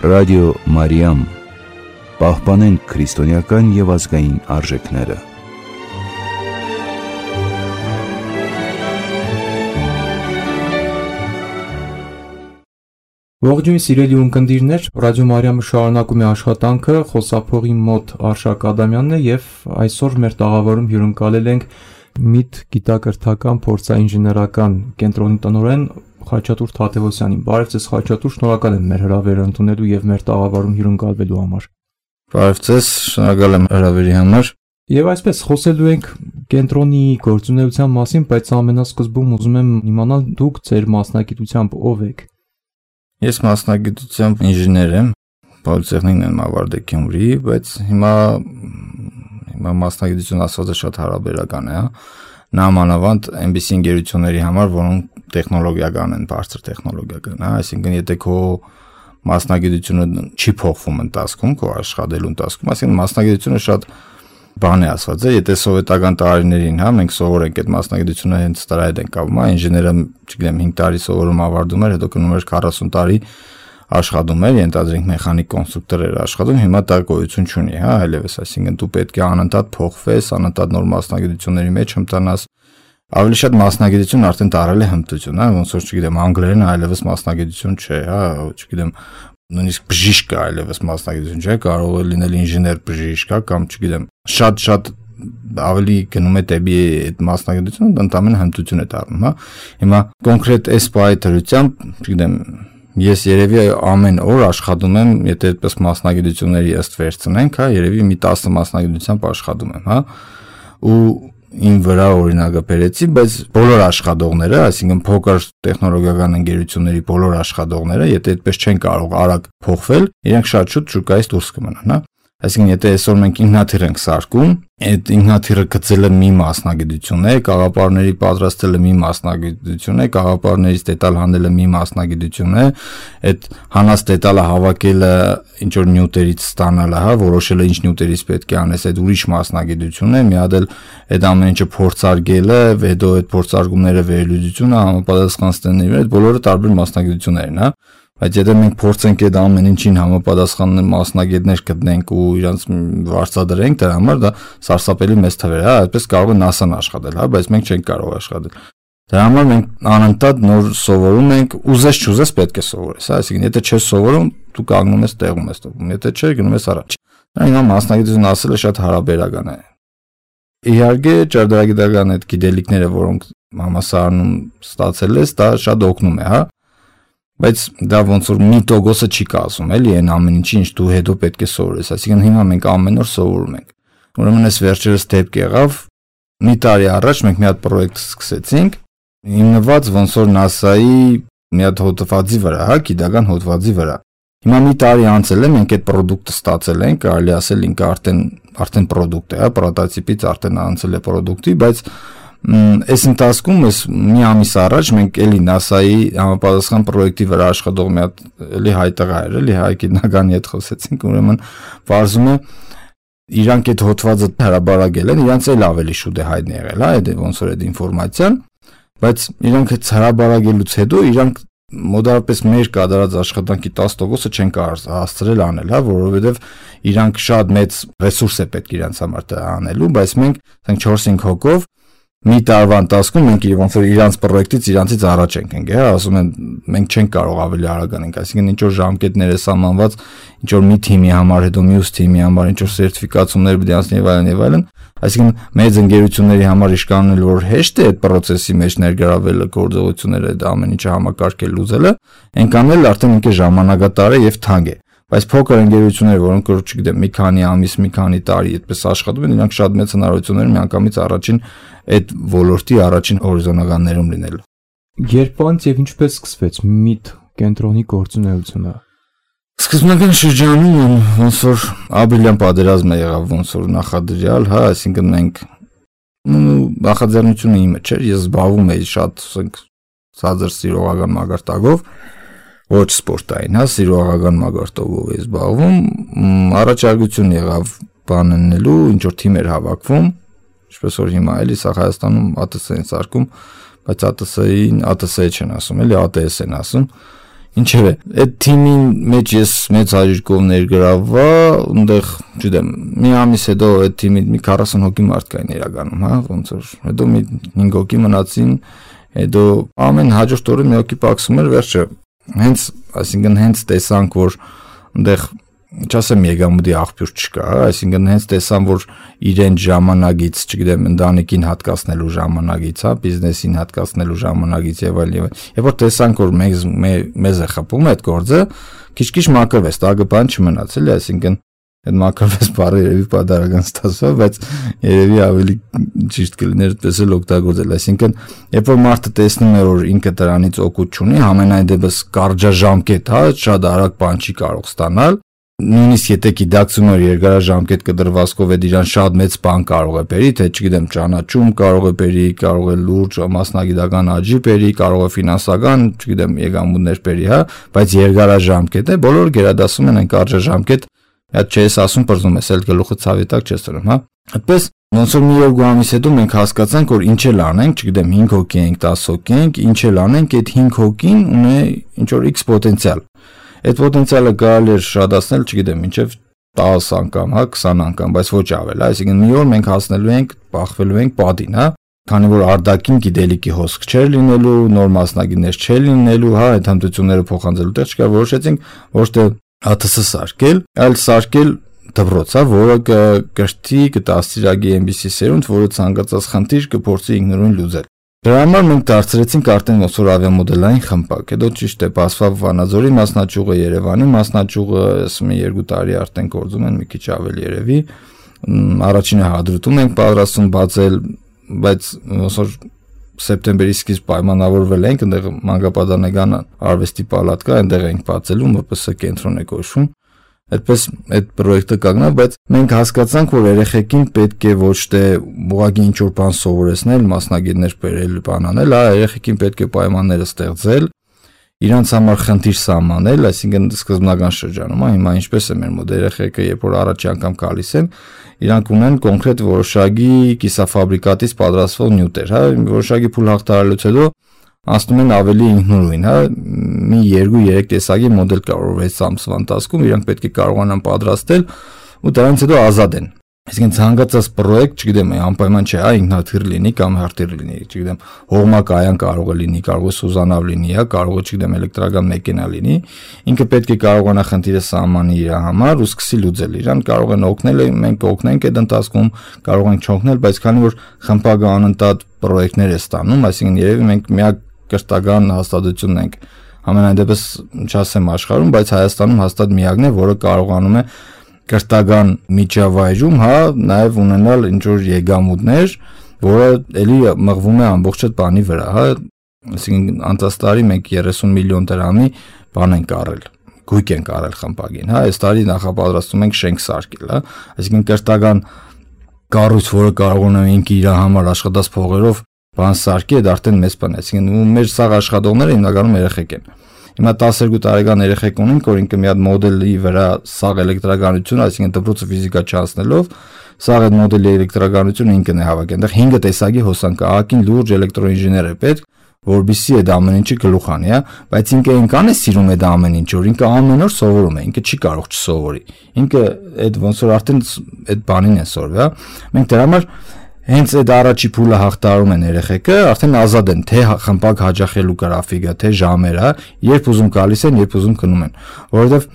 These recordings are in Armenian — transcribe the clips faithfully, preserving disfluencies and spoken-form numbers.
Ռադիո Մարիամ, պահպանենք քրիստոնեական և ազգային արժեքները։ Ողջույն սիրելի ունկնդիրներ, Ռադիո Մարիամը շարունակում է աշխատանքը, խոսափողի մոտ Արշակ Ադամյանն է և այսօր մեր տաղավարում հյուրընկալել ենք Միտ գիտակրթական փորձաինժեներական կենտրոնի տնօրեն Խաչատուր Թադևոսյանին։ Բարև ձեզ Խաչատուր, շնորհակալ եմ մեր հրավերը ընդունելու և մեր տաղավարում հյուրընկալվելու համար։ Բարև ձեզ, շնորհակալ եմ հրավերի համար։ Եվ այսպես խոսելու ենք կենտրոնի գործունեության մասին, բայց ամենասկզբում ուզում եմ իմանալ դուք ձեր մասնագիտությամբ ով եք։ Ես մասնագիտությամբ ինժեներ եմ, Պոլիտեխնիկն եմ ավարտել Գյումրի, բայց հիմա հիմա մասնագիտություն ասվածը շատ հարաբերական է, հա։ Նամանավանդ այնպիսի ընկերությունների համար, որոնք տեխնոլոգիական են, բարձր տեխնոլոգիական, հա, այսինքն եթե քո մասնագիտությունը չի փոխվում ընթացքում, քո աշխատելու ընթացքում, այսինքն մասնագիտությունը շատ բան է ասված, եթե սովետական տարիներին, հա, մենք սովորենք այդ մասնագիտությունը հենց դրա հետ ենք կապվում, հա, ինժեները, չգիտեմ, հինգ տարի սովորում ավարտում էր, հետո գնում էր քառասուն տարի աշխատում էր, ենթադրենք մեխանիկ կոնստրուկտոր էր աշխատում, հիմա դա գոյություն չունի, հա, այլևս, այսինքն դու պետք է անընդհատ փոխվես, անընդհատ նոր մասնագիտությունների մեջ հմտանաս, ավելի շատ մասնագիտություն արդեն տարել է հմտություն, հա, ոնց որ չգիտեմ, անգլերենը այլևս մասնագիտություն չէ, հա, չգիտեմ, նույնիսկ բժիշկ այլևս մասնագիտություն չէ, կարող է լինել ինժեներ բժիշկ, կամ չգիտեմ, շատ-շատ ավելի գնում է դեպի այդ մասնագիտությունը, ընդամենը հմտություն է դառնում, հա։ Հիմա կոնկրետ այս բայի դրությամբ, չգիտեմ, ես երևի ամեն օր աշխատում եմ, եթե այդպես մասնագիտությունների ըստ վերցնենք, հա, երևի մի տասը մասնագիտությամբ աշխատում եմ, հա, ու իմ վրա օրինակը բերեցի, բայց բոլոր աշխատողները, այսինքն փոքր տեխնոլոգիական ընկերությունների բոլոր աշխատողները, եթե այդպես չեն կարող արագ փոխվել, իրենք շատ շուտ շուկայից դուրս կմնան, հա։ Այսինքն եթե այսօր մենք ինքնաթիռ ենք սարքում, այդ ինքնաթիռը գծելը մի մասնագիտություն է, կաղապարների պատրաստելը մի մասնագիտություն է, կաղապարներից դետալ հանելը մի մասնագիտություն է, այդ հանած դետալը հավաքելը ինչ որ նյութերից ստանալը, հա, որոշելը ինչ նյութերից պետք է անես, այդ ուրիշ մասնագիտություն է, մի հատ էլ այդ ամեն ինչը փորձարկելը, հետո այդ փորձարկումները վերլուծությունը, համապատասխան ստանալը, այդ բոլորը տարբեր մասնագիտություններ են, հա։ Բայց եթե մենք փորձենք այդ ամեն ինչին համապատասխան մասնագետներ գտնենք ու իրանց վարձատրենք, դրա համար դա սարսափելի մեծ թվեր է, հա, այդպես կարող է NASA-ն աշխատել, հա, բայց մենք չենք կարող աշխատել։ Դրա համար մենք անընդհատ նոր սովորում ենք, ուզես չուզես պետք է սովորես, հա, այսինքն եթե չես սովորում, դու կանգնում ես տեղում ես տովում, եթե չէ, գնում ես առաջ։ Դա հիմա մասնագիտություն ասելը շատ հարաբերական է։ Իհարկե, ճարտարագիտական այդ գիտելիքները, որոնք համալսարանում ստացել ես, դա շատ օգնում է, հա։ Բայց դա ոնց որ մի տոկոսը չի կազմում, էլի այն ամեն ինչի, ինչ դու հետո պետք է սովորես, այսինքն հիմա մենք ամեն օր սովորում ենք։ Ուրեմն այս վերջերս դեպք եղավ, մի տարի առաջ մենք մի հատ պրոյեկտ սկսեցինք, հիմնված ոնց որ NASA-ի մի հատ հոդվածի վրա, հա, գիտական հոդվածի վրա։ Հիմա մի տարի անցել է, մենք այդ պրոդուկտը ստացել ենք, կարելի ասել ինքը արդեն արդեն պրոդուկտ է, հա, պրոտոտիպից արդեն անցել է պրոդուկտի, բայց այս ընթացքում ես մի ամիս առաջ մենք էլի NASA-ի համապատասխան պրոյեկտի վրա աշխատող մի հատ էլի հայ տղա էր, էլի հայ գիտնականի հետ խոսեցինք, ուրեմն բարձում է իրանք այդ հոդվածը հրաբարակել են, իրանց էլ ավելի շուտ է հայտնի եղել, հա, այդ ոնց որ այդ ինֆորմացիան, բայց իրանք այդ հրաբարակելուց հետո իրանք մոտավորապես մեր կատարած աշխատանքի տասը տոկոսը չեն կարող հասցրել անել, հա, որովհետև իրանք շատ մեծ ռեսուրս է պետք իրանց համար դա անելու, բայց մենք ասենք չորս-հինգ հոգով մի տարվա ընթացքում մենք ոնց որ իրանց պրոյեկտից իրանցից առաջ ենք ենք, հա, ասում են մենք չենք կարող ավելի արագ անենք, այսինքն ինչ որ ժամկետներ է սահմանված, ինչ որ մի թիմի համար, հետո մյուս թիմի համար, ինչ որ սերտիֆիկացումներ պետք է անցնի եւ այլն եւ այլն, այսինքն մեծ ընկերությունների համար իշկանել որ հեշտ է այդ process-ի մեջ ներգրավելը, գործողությունները, այդ ամեն ինչը համակարգել լուծելը, այնքան էլ արդեն ինքը ժամանակատար է եւ թանկ է։ Բայց փոքր ընկերություններ, որոնք որ չգիտեմ, մի քանի ամիս, մի քանի տարի այդպես աշխատում են, իրանք շատ մեծ հնարավորություններ ունեն միանգամից առաջին այդ ոլորտի առաջին հորիզոնականներում լինելու։ Երբ եւ ինչպես սկսվեց Միտ կենտրոնի գործունեությունը։ Սկզբնական շրջանում ոնց որ ապրիլյան պատերազմը եղավ, ոնց որ նախադրյալ, հա, այսինքն մենք նախաձեռնությունը իմը չէր, ես զբաղվում էի շատ, ասենք, ցածր սիրողական մագարտակով, ոչ սպորտային, հա, սիրողական մագարտակով էի զբաղվում, առաջարկություն եղավ բանելու, ինչ որ թիմ էր հավաքվում, ինչպես որ հիմա էլի սա Հայաստանում ԱՏՍ-ն սարքում, բայց ԱՏՍ-ին ԱՏՍ չեն ասում, էլի ԱՏՍ են ասում։ Ինչևէ, այդ թիմին մեջ ես մեծ հաջողով ներգրավվա, այնտեղ, չգիտեմ, մի ամիս հետո այդ թիմի մի քառասուն հոգի մարդ կային իրականում, հա, ոնց որ, հետո մի հինգ հոգի մնացին, հետո ամեն հաջորդ օրը մի հոգի պակսում էր, վերջը, հենց, այսինքն հենց տեսանք, որ այնտեղ չասեմ եկամուտի աղբյուր չկա, այսինքն հենց տեսան, որ իրեն ժամանակից, չգիտեմ, ընտանիքին հատկացնելու ժամանակից, հա, բիզնեսին հատկացնելու ժամանակից եւ այլ եւ այլ։ Երբ որ տեսանք, որ մեզ մեզ է խփում այդ գործը, քիչ-քիչ մակրվեց, տակը բան չմնաց, էլի, այսինքն այդ մակրվեց բառը երևի պատարական ստացվա, բայց երևի ավելի ճիշտ կլիներ այդպես էլ օգտագործել, այսինքն երբ որ մարդը տեսնում է, որ ինքը դրանից օգուտ չունի, համենայն դեպս կարճաժամկետ, հա, շատ արագ բան չի կարող ստանալ, նույնիսկ եթե գիտակցում է երկարաժամկետ կդրվածքով այդ իրան շատ մեծ բան կարող է բերի, թե չգիտեմ, ճանաչում կարող է բերի, կարող է լուրջ մասնագիտական աճի բերի, կարող է ֆինանսական, չգիտեմ, եկամուտներ բերի, հա, բայց երկարաժամկետ է, բոլորը գերադասում են այն կարճաժամկետ, այդ չես ասում բրզում ես, էլ գլուխը ցավի տակ չես դնում, հա։ Այդպես ոնց որ մի երկու ամիս հետո մենք հասկացանք, որ ինչ էլ անենք, չգիտեմ, հինգ հոգի ենք, տասը հոգի ենք, ինչ էլ անենք, այդ հինգ հոգին ունի ինչ որ X պոտենցիալ։ Այդ պոտենցիալը կարելի է շատացնել, չգիտեմ, մինչև տասը անգամ, հա, քսան անգամ, բայց ոչ ավել, այսինքն մի օր մենք հասնելու ենք, բախվելու ենք պատին, հա, քանի որ արդակին գիտելիքի հոսք չէր լինելու, նոր մասնագետներ չէր լինելու, հա, այդ հմտությունները փոխանցելու տեղ չկար, որոշեցինք ոչ թե ա թ ս սարքել, այլ սարքել դպրոց, հա, որը կգրտի, կդաստիարակի այնպիսի սերունդ, որը ցանկացած խնդիր կփորձի ինքնուրույն լուծել։ Դրա համար մենք դարձրեցինք արդեն ոնց որ ավիամոդելային խմբակ, հետո ճիշտ է, Պասվավ Վանաձորի մասնաճյուղը, Երևանի մասնաճյուղը, մի երկու տարի արդեն գործում են, մի քիչ ավելի երևի, առաջինը հադրուտում ենք պատրաստում բացել, բայց ոնց որ սեպտեմբերի սկիզբ պայմանավորվել ենք, այնտեղ Մանկապատանեկան արվեստի պալատ կա, այնտեղ ենք բացելու, մ պ ս կենտրոն է կոչվում։ Այդպես այդ պրոյեկտը կանգնա, բայց մենք հասկացանք, որ երեխեքին պետք է ոչ թե ուղղակի ինչ որ բան սովորեցնել, մասնագետներ բերել, բան անել, այլ երեխեքին պետք է պայմանները ստեղծել, իրանց համար խնդիր սահմանել, այսինքն սկզբնական շրջանում, հիմա ինչպես է մեր մոտ երեխեքը, երբ որ առաջի անգամ գալիս են, իրանք ունեն կոնկրետ որոշակի կիսաֆաբրիկատից պատրաստվող նյութեր, հա, որոշակի փուլ հաղթահարելուց հետո անցնում են ավելի ինքնուրույն, հա, մի երկու երեք տեսակի մոդել կա, որ վեց ամսվա ընթացքում իրանք պետք է կարողանան պատրաստել ու դրանից հետո ազատ են։ Այսինքն ցանկացած պրոյեկտ, չգիտեմ, անպայման չէ, հա, ինքնաթիռ լինի կամ հարտիր լինի, չգիտեմ, հողմակայան կարող է լինի, կարող է սուզանավ լինի, հա, կարող է, չգիտեմ, էլեկտրական մեքենա լինի, ինքը պետք է կարողանա խնդիրը սահմանի իր համար ու սկսի լուծել իրան, կարող են օգնել, մենք կօգնենք այդ ընթացքում, կարող ենք չօգնել, բայց քանի որ խմբակը անընդհատ պրոյեկտներ է ստանում, այսինքն երևի մենք միակ կրթական հաստատությունն ենք ամենայն դեպս չասեմ աշխարհում, բայց Հայաստանում հաստատ միակն է, որը կարողանում է կրթական միջավայրում, հա, նաև ունենալ ինչ որ եկամուտներ, որը էլի մղվում է ամբողջ այդ բանի վրա, հա, այսինքն անցած տարի մենք երեսուն միլիոն դրամի բան ենք առել, գույք ենք առել խմբակին, հա, այս տարի նախապատրաստում ենք շենք սարքել, հա, այսինքն կրթական կառույց, որը կարողանում է ինքը իր համար աշխատած փողերով բան սարքի, այդ արդեն մեծ բան է, այսինքն մեր սաղ աշխատողները հիմնականում երեխեք են։ Հիմա տասներկու տարեկան երեխեք ունենք, որ ինքը մի հատ մոդելի վրա սաղ էլեկտրականություն, այսինքն դպրոցը ֆիզիկա չանցնելով, սաղ այդ մոդելի էլեկտրականությունը ինքն է հավաքի։ Այնտեղ հինգ տեսակի հոսանք, ահագին լուրջ էլեկտրոինժեներ է պետք, որբիսի այդ ամեն ինչը գլուխ անի, հա, բայց ինքը այնքան է սիրում այդ ամեն ինչը, որ ինքը ամեն օր սովորում է, ինքը չի կարող չսովորի։ Ինքը այդ ոնց որ արդեն այդ բանին է սովորի, հա։ Մենք դրա համար հենց այդ առաջի փուլը հաղթահարում են երեխեքը, արդեն ազատ են, թե խմբակ հաճախելու գրաֆիկը, թե ժամերը, երբ ուզում գալիս են, երբ ուզում գնում են, որովհետև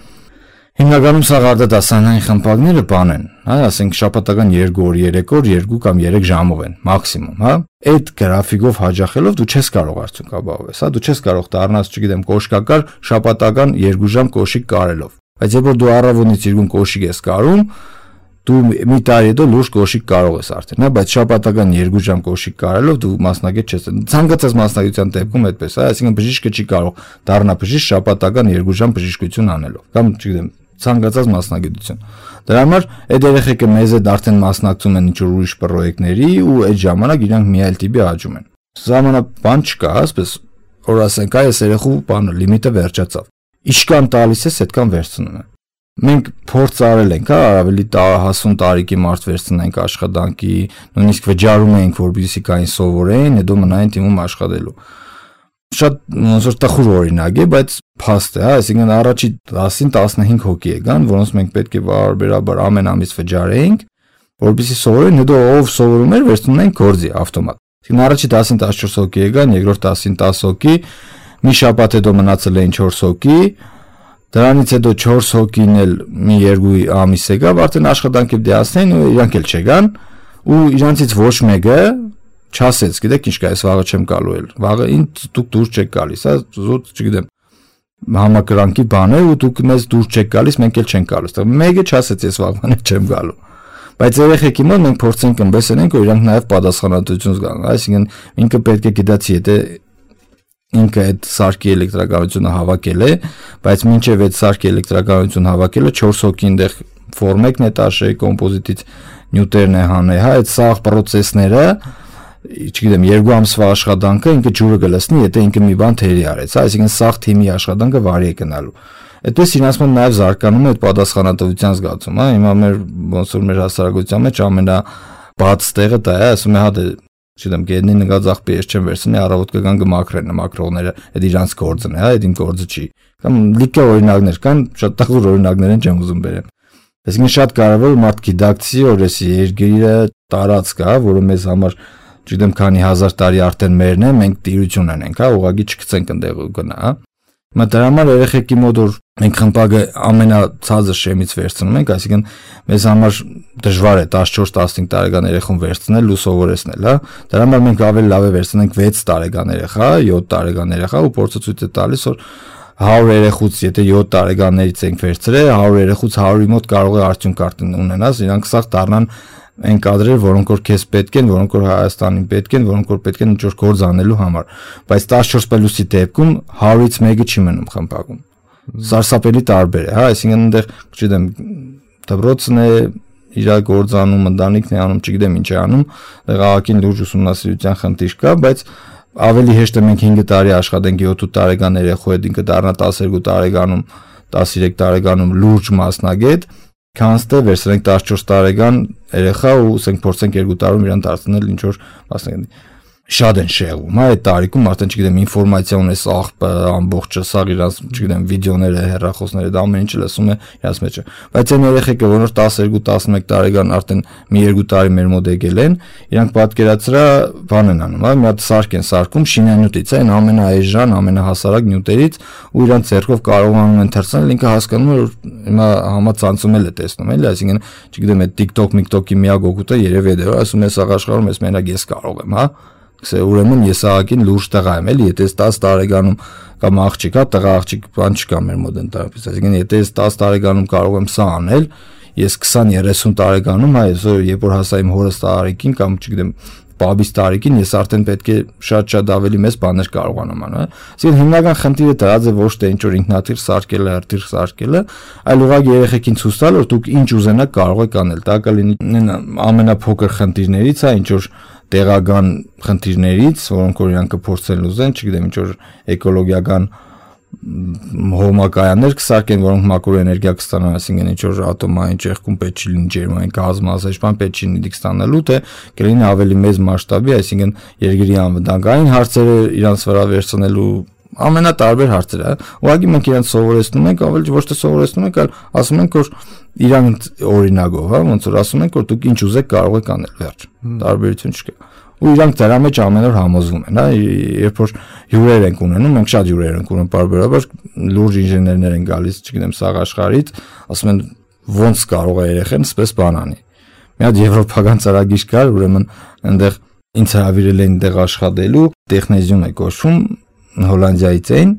հիմնականում սա արտադասանային խմբակները բան են, հա, ասենք շաբաթական երկու օր, երեք օր, երկու կամ երեք ժամով են, մաքսիմում, հա։ Այդ գրաֆիկով հաճախելով դու չես կարող արդյունք ապահովես, հա, դու չես կարող դառնաս, չգիտեմ, կոշկակար շաբաթական երկու ժամ կոշիկ կարելով։ Բայց երբ որ դու առավոտից երկու կոշիկ ես կարում, դու մի տարի հետո լուրջ կոշիկ կարող ես արդեն, հա, բայց շաբաթական երկու ժամ կոշիկ կարելով դու մասնագետ չես։ Ցանկացած մասնագիտության դեպքում այդպես է, այսինքն բժիշկը չի կարող դառնա բժիշկ շաբաթական երկու ժամ բժշկություն անելով, կամ չգիտեմ, ցանկացած մասնագիտություն։ Դրա համար այդ երեխեքը մեզ հետ արդեն մասնակցում են ինչ-որ ուրիշ պրոյեկտների ու այդ ժամանակ իրանք մի այլ տիպի աճում են։ Ժամանակ չկա, ասես, որ ասենք, այս երեխու բանը լիմիտը վերջացավ։ Ինչքան տալիս ես, այդքան վերցնում են։ Մենք փորձ արել ենք, հա, ավելի հասուն տարիքի մարդ վերցնենք աշխատանքի, նույնիսկ վճարում ենք, որպեսզի կային սովորեն, հետո մնային թիմում աշխատելու։ շատ ոնց որ տխուր օրինակ է, բայց փաստ է, հա, այսինքն առաջի տասին տասնհինգ հոգի եկան, որոնց մենք պետք է բարբերաբար ամեն ամիս վճարեինք, որպեսզի սովորեն, հետո ով սովորում էր, վերցնում էին գործի ավտոմատ։ Այսինքն առաջի տասին տասնչորս հոգի եկան, երկրորդ տասին տասը հոգի, մի շաբաթ հետո մնացել էին չորս հոգի, դրանից հետո չորս հոգին էլ մի երկու ամիս եկավ, արդեն աշխատանքի դիասնեն ու իրանք էլ չեկան, ու իրանցից ոչ մեկը չասեց, գիտեք ինչ կա, այս վաղը չեմ գալու էլ։ Վաղը ինձ դուք դուրս չեք գալիս, հա, զուտ, չգիտեմ, համակրանքի բան է ու դուք մեզ դուրս չեք գալիս, մենք էլ չենք գալու։ Մեկը չասեց, ես վաղվան չեմ գալու։ Բայց երեխեքի մոտ մենք փորձենք ըմբեսենք, որ իրանք նաև պատասխանատվություն զգան, այսինքն ինքը պետք է գիտացի, եթե ինքը այդ սարքի էլեկտրականությունը հավաքել է, բայց մինչև այդ սարքի էլեկտրականությունը հավաքելը չորս հոգի այնտեղ ֆորմեկն է տաշե, կոմպոզիտից նյութերն է հանե, հա, այդ սաղ պրոցեսները, չգիտեմ, երկու ամսվա աշխատանքը ինքը ջուրը կլսնի, եթե ինքը մի բան թերի արեց, հա, այսինքն սաղ թիմի աշխատանքը վարի է գնալու։ Այդպես իրենց մոտ նաև զարգանում է այդ պատասխանատվության զգացումը, հա, հիմա մեր ոնց որ մեր հասարակության մեջ ամենաբաց տեղը դա է, ասում է, հա, դե չգիտեմ, գետնի նկած աղբի ես չեմ վերցնի, առավոտ կգան կմաքրեն, մաքրողները, այդ իրանց գործն է, հա, այդ իմ գործը չի։ Կամ լիքը օրինակներ կան, շատ տխուր օրինակներ են չեմ ուզում բերեմ։ Այսինքն շատ կարևոր է մարդ գիտակցի, որ այս երկիրը տարածք է, որը մեզ համար, չգիտեմ, քանի հազար տարի արդեն մերն է, մենք տիրություն ունենք, հա, ուղղակի չգցենք այնտեղ ու գնա, հա։ Հիմա դրա համար երեխեքի մոտ որ մենք խմբակը ամենացածը շեմից վերցնում ենք, այսինքն մեզ համար դժվար է տասնչորս տասնհինգ տարեկան երեխուն վերցնել ու սովորեցնել, հա։ Դրա համար մենք ավելի լավ է վերցնենք վեց տարեկան երեխա, յոթ տարեկան երեխա ու փորձը ցույց է տալիս, որ հարյուր երեխուց եթե յոթ տարեկաններից ենք վերցրել, հարյուր երեխուց հարյուրի մոտ կարող է արդյունք արդեն ունենաս, իրանք սաղ դառնան այն կադրեր, որոնք որ քեզ պետք են, որոնք որ Հայաստանին պետք են, որոնք որ պետք են ինչ-որ գործ անելու համար, բայց տասնչորս պլյուսի դեպքում հարյուրից մեկը չի մնում խմբակում։ Սարսափելի տարբեր է, հա, այսինքն այնտեղ, չգիտեմ, դպրոցն է, իր գործ անում, ընտանիքն է անում, չգիտեմ ինչ է անում, աղաքին լուրջ ուսումնասիրության խնդիր կա, բայց ավելի հեշտ է մենք հինգ տարի աշխատենք յոթ տարեկան երեխու հետ, ինքը դառնա տասներկու տարեկանում, տասներեք տարեկանում լուրջ մասնագետ, քան թե վերցնենք տասնչորս տարեկան երեխա ու ասենք փորձենք երկու տարում իրան դարձնել ինչ որ մասնագետ։ Շատ են շեղում, հա, այդ տարիքում արդեն չգիտեմ ինֆորմացիա ունես աղբը ամբողջը, սաղ իրանց, չգիտեմ, վիդեոները, հեռախոսները, դա ամեն ինչը լսում է իրանց մեջ։ Բայց այն երեխեքը, որոնց տասներկու տասնմեկ տարեկան արդեն մի երկու տարի մեր մոտ եկել են, իրանք պատկերացրա բան են անում, հա, մի հատ սարք են սարքում շինանյութից, այն ամենաէժան, ամենահասարակ նյութերից ու իրանք ձեռքով կարողանում են թռցնել, ինքը հասկանում է, որ հիմա համացանցում էլ է տեսնում, էլի, այսինքն, չգիտեմ, այդ TikTok, MikTok-ի միակ օգուտը երևի է, ասում է սաղ աշխարհում ես մենակ ես կարող եմ, հա։ Կսե ուրեմն ես աղաքին լուրջ տղա եմ, էլի, եթե ես տասը տարեկանում կամ աղջիկ հա, տղա աղջիկ բան չկա մեր մոտ ընդհանրապես, այսինքն եթե ես տասը տարեկանում կարող եմ սա անել, ես քսան երեսուն տարեկանում, հա, ես երբ որ հասա իմ հորս տարիքին կամ չգիտեմ բաբիս տարիքին, ես արդեն պետք է շատ-շատ ավելի մեծ բաներ կարողանամ անել, հա։ Այսինքն հիմնական խնդիրը դրած է ոչ թե ինչ որ ինքնաթիռ սարքելը, հրթիռ սարքելը, այլ ուղղակի երեխեքին ցույց տալ, որ դուք ինչ ուզենաք կարող եք անել, դա կլինի ամենափոքր խնդիրներից, հա, ինչ որ տեղական խնդիրներից, որոնք որ իրանք կփորձեն լուծեն, չգիտեմ, ինչ որ էկոլոգիական հողմակայաններ կսարքեն, որոնք մաքուր էներգիա կստանան, այսինքն ինչ որ ատոմային ճեղքում պետք չի լինի ջերմային կազմազդեցման, պետք չի լինի ստանալու, թե կլինի ավելի մեծ մասշտաբի, այսինքն երկրի անվտանգային հարցերը իրանց վրա վերցնելու ամենատարբեր հարցեր, հա։ Ուղղակի մենք իրանց սովորեցնում ենք, ավելի ոչ թե սովորեցնում ենք, այլ ասում ենք, որ իրանք օրինակով, հա, ոնց որ ասում ենք, որ դուք ինչ ուզեք կարող եք անել, վերջ։ Տարբերություն չկա։ Ու իրանք դրա մեջ ամեն օր համոզվում են, հա, երբ որ հյուրեր ենք ունենում, մենք շատ հյուրեր ենք ունենում, բարբերաբար լուրջ ինժեներներ են գալիս, չգիտեմ, սաղ աշխարհից, ասում են ոնց կարող է երեխան սպես բան անի։ Մի հատ եվրոպական ծրագիր կար, ուրեմն այնտեղ ինձ հրավիրել են այնտեղ աշխատելու, տեխնեզիոն է կոչվում, Հոլանդիայից էին,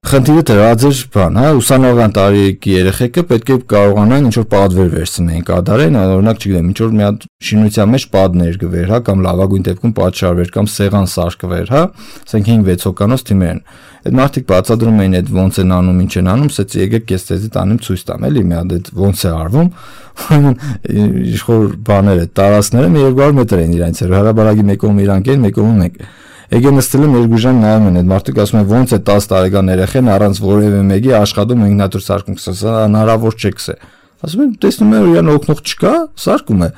խնդիրը դրած էր բան, հա, ուսանողական տարիքի երեխեքը պետք է կարողանան ինչ-որ պատվեր վերցնեն, կատարեն, օրինակ, չգիտեմ, ինչ-որ մի հատ շինության մեջ պատներ գվեր, հա, կամ լավագույն դեպքում պատշարվեր, կամ սեղան սարքվեր, հա, ասենք հինգ-վեց հոգանոց թիմեր են։ Այդ մարդիկ բացատրում էին այդ ոնց են անում, ինչ են անում, ասեցի եկեք ես ձեզի տանեմ ցույց տամ, էլի, մի հատ այդ ոնց է արվում, իշխոր բաները, տարածքները մի երկու հարյուր մետր են իրանց, հրաբարակի մեկում իրանք են, մեկում մենք Եկե նստել եմ երկու ժամ նայում են, այդ մարդիկ ասում են ոնց է տասը տարեկան երեխան առանց որևէ մեկի աշխատում ինքնաթիռ սարքում, սա հնարավոր չէ, քսե։ ասում են տեսնում է որ իրան օգնող չկա, սարկում է։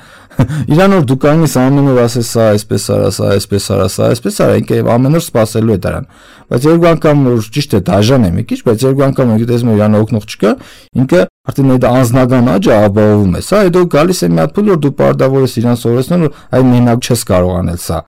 Իրան որ դու կանգնես ամեն օր ասես սա այսպես արա, սա այսպես արա, սա այսպես արա, ինքը ամեն օր սпасելու է դրան։ Բայց երկու անգամ որ ճիշտ է դաժան է մի քիչ, բայց երկու անգամ որ տեսնում իրան օգնող չկա, ինքը արդեն այդ անձնական աճը ապահովում է։ Սա հետո գալիս է մի հատ փուլ որ դու պարտավոր ես իրան սովորեցնել որ այ մենակ չես կարող անել սա։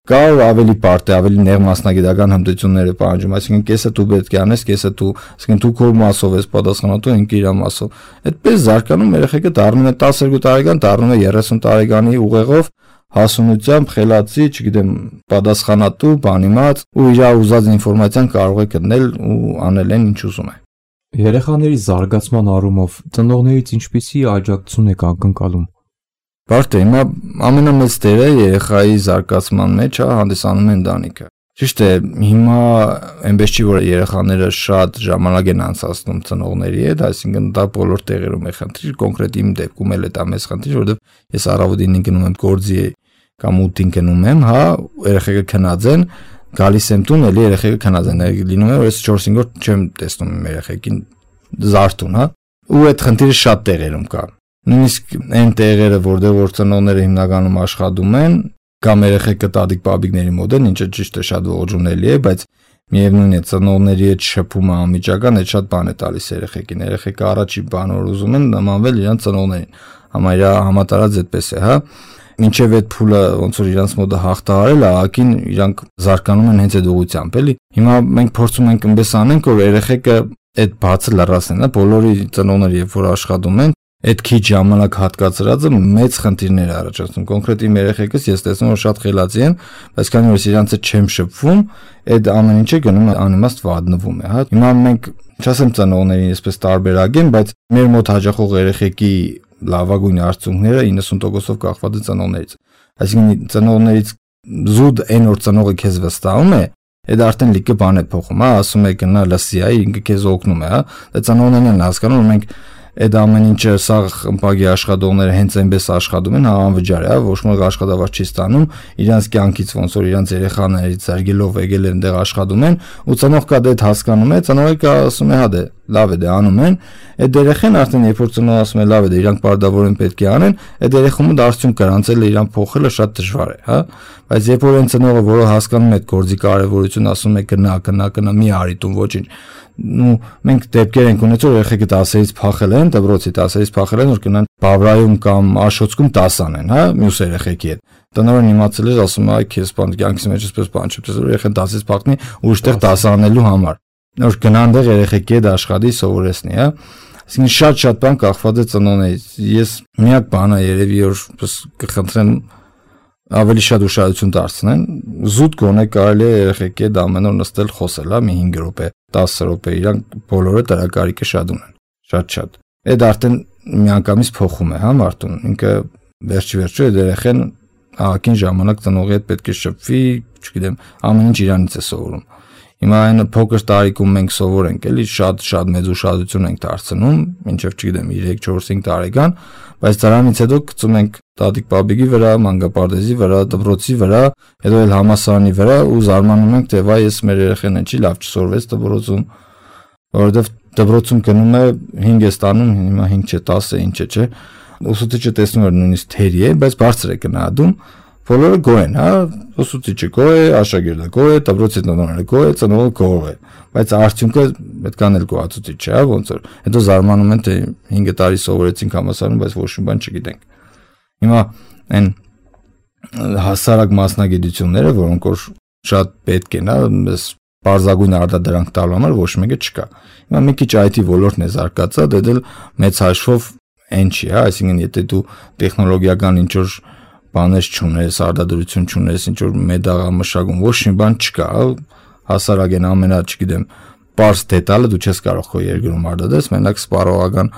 Կա ավելի բարդ է, ավելի նեղ մասնագիտական հմտություններ է պահանջում, այսինքն կեսը դու պետք է անես, կեսը դու, այսինքն դու քո մասով ես պատասխանատու, ինքը իր մասով։ Այդպես զարգանում երեխեքը դառնում է տասներկու տարեկան, դառնում է երեսուն տարեկանի ուղեղով, հասունությամբ, խելացի, չգիտեմ, պատասխանատու, բանիմաց ու իր ուզած ինֆորմացիան կարող է գտնել ու անել այն ինչ ուզում է։ Երեխաների զարգացման առումով ծնողներից ինչպիսի աջակցություն եք ակնկալում։ Բարդ է, հիմա ամենամեծ դերը երեխայի զարգացման մեջ է հանդիսանում է ընտանիքը։ Ճիշտ է, հիմա այնպես չի որ երեխաները շատ ժամանակ են անցկացնում ծնողների հետ, այսինքն դա բոլոր տեղերում է խնդիր, կոնկրետ իմ դեպքում էլ է դա մեծ խնդիր, որովհետև ես առավոտին գնում եմ գործի կամ ուտին գնում եմ, հա, երեխեքը քնած են, գալիս եմ տուն, էլի երեխեքը քնած են, լինում է որ ես չորս-հինգ օր չեմ տեսնում իմ երեխեքին զարթուն, հա, ու այդ խնդիրը շատ տեղերում կա։ Նույնիսկ այն տեղերը, որտեղ որ ծնողները հիմնականում աշխատում են, կամ երեխեքը տատիկ պապիկների մոտ են, ինչը ճիշտ է շատ ողջունելի է, բայց միևնույն է ծնողների հետ շփումը անմիջական այդ շատ բան է տալիս երեխեքին։ Երեխեքը առաջի բան որ ուզում են նմանվել իրենց ծնողներին։ Համարյա համատարած այդպես է, հա։ Մինչև այդ փուլը ոնց որ իրանց մոտ հաղթահարել, ահագին իրանք զարգանում են հենց այդ ուղղությամբ, էլի։ Հիմա մենք փորձում ենք այնպես անենք, որ երեխեքը այդ բացը լրացնեն, հա, բոլորի ծնողները երբ որ աշխատում են, այդ քիչ ժամանակ հատկացրածը մեծ խնդիրներ է առաջացնում։ Կոնկրետ իմ երեխեքս ես տեսնում որ շատ խելացի են, բայց քանի որ իրանց հետ չեմ շփվում, այդ ամեն ինչը գնում է անիմաստ վատնվում է, հա։ Հիմա մենք չասեմ ծնողներին այսպես տարբերակեն, բայց մեր մոտ հաճախող երեխեքի լավագույն արդյունքները իննսուն տոկոսով կախված է ծնողներից։ Այսինքն ծնողներից զուտ այն որ ծնողը քեզ վստահում է, այդ արդեն լիքը բան է փոխում, հա, ասում է գնա լսի, այ ինքը քեզ օգնում է, հա։ Դա ծնողներն են հասկանում, որ մենք այդ ամեն ինչը սա ըմպագի աշխատողները հենց այնպես աշխատում են, հա, անվճար է, հա, ոչ մեկ աշխատավարձ չի ստանում, իրանց կյանքից ոնց որ իրանց երեխաներից զարգելով եկել են դեղ աշխատում են, ու ծնող կա դա հասկանում է, ծնողը կա ասում է, հա դե լավ է դե անում են, այդ երեխան արդեն երբ որ ծնողը ասում է լավ է դե իրանք բարդավորեն պետք է անեն, այդ երեխումը դարձյուն կրանցել է իրան փոխելը շատ դժվար է, հա, բայց երբ որ այն ծնողը որը հասկանում է այդ գործի կարևորությունը, ասում է գնա, գնա, գնա, մի արի տուն, ոչինչ, ու մենք դեպքեր ենք ունեցել երեխեքը տասերից փախել են, դպրոցի տասերից փախել են, որ գնան Բավրայում կամ Աշոտսկում տաս անեն, հա, մյուս երեխեքի հետ։ Տնօրեն իմացել էր, ասում է, այ քեզ բան կյանքից մեջ էսպես բան չի, տեսել երեխան տասից փախնի ուրիշտեղ տաս անելու համար։ Որ գնան դեղ երեխեքի հետ աշխատի, սովորեցնի, հա։ Այսինքն շատ-շատ բան կախված է ծնողներից։ Ես միակ բանը երևի որ կխնդրեմ ավելի շատ ուշադրություն դարձնեն, զուտ գոնե կարելի է երեխեքի հետ ամեն օր նստել խոսել, հա, մի հինգ րոպե, տասը րոպե, իրանք բոլորը դրակարիքը շատ ունեն, շատ-շատ։ Այդ արդեն միանգամից փոխում է, հա, մարդուն, ինքը վերջ-վերջո այդ երեխան ահագին ժամանակ ծնողի հետ պետք է շփվի, չգիտեմ, ամեն ինչ իրանից է սովորում։ Հիմա այն փոքր տարիքում մենք սովորենք, էլի շատ-շատ մեծ ուշադրություն ենք դարձնում, մինչև չգիտեմ երեք, չորս, հինգ տարեկան, բայց դրանից հետո գցում ենք տատիկ պապիկի վրա, մանկապարտեզի վրա, դպրոցի վրա, հետո էլ համալսարանի վրա ու զարմանում ենք, թե վայ, ես մեր երեխան չի լավ չսովորվեց դպրոցում, որովհետև դպրոցում գնում է հինգ է ստանում, հիմա հինգ չէ, տասը, ինչ է, չէ։ Ուսուցիչը տեսնում է նույնիսկ թերի է, բայց բարձր է գնահատում, բոլորը գոհ են, հա, ուսուցիչը գոհ է, աշակերտը գոհ է, դպրոցի տնօրենը գոհ է, ծնողը գոհ է, բայց արդյունքը պետք է անել գոհացուցիչ չէ, հա, ոնց որ։ Հետո զարմանում են, թե հինգ տարի սովորեցինք համալսարանում, բայց ոչ մի բան չգիտենք։ Հիմա այն հասարակ մասնագիտությունները, որոնք որ շատ պետք են, հա, մեզ բարձրագույն արտադրանք տալու համար ոչ մեկը չկա։ Հիմա մի քիչ այ թի ոլորտն է զարգացած, դա դել մեծ հաշվով այն չի, հա, այսինքն եթե դու տեխնոլոգիական ինչ որ բաներ չունես, արտադրություն չունես, ինչ որ մեդաղամշակում, ոչ մի բան չկա, հասարակ են ամենա, չգիտեմ, պարզ դետալը դու չես կարող քո երկրում արտադրես, մենակ սպառողական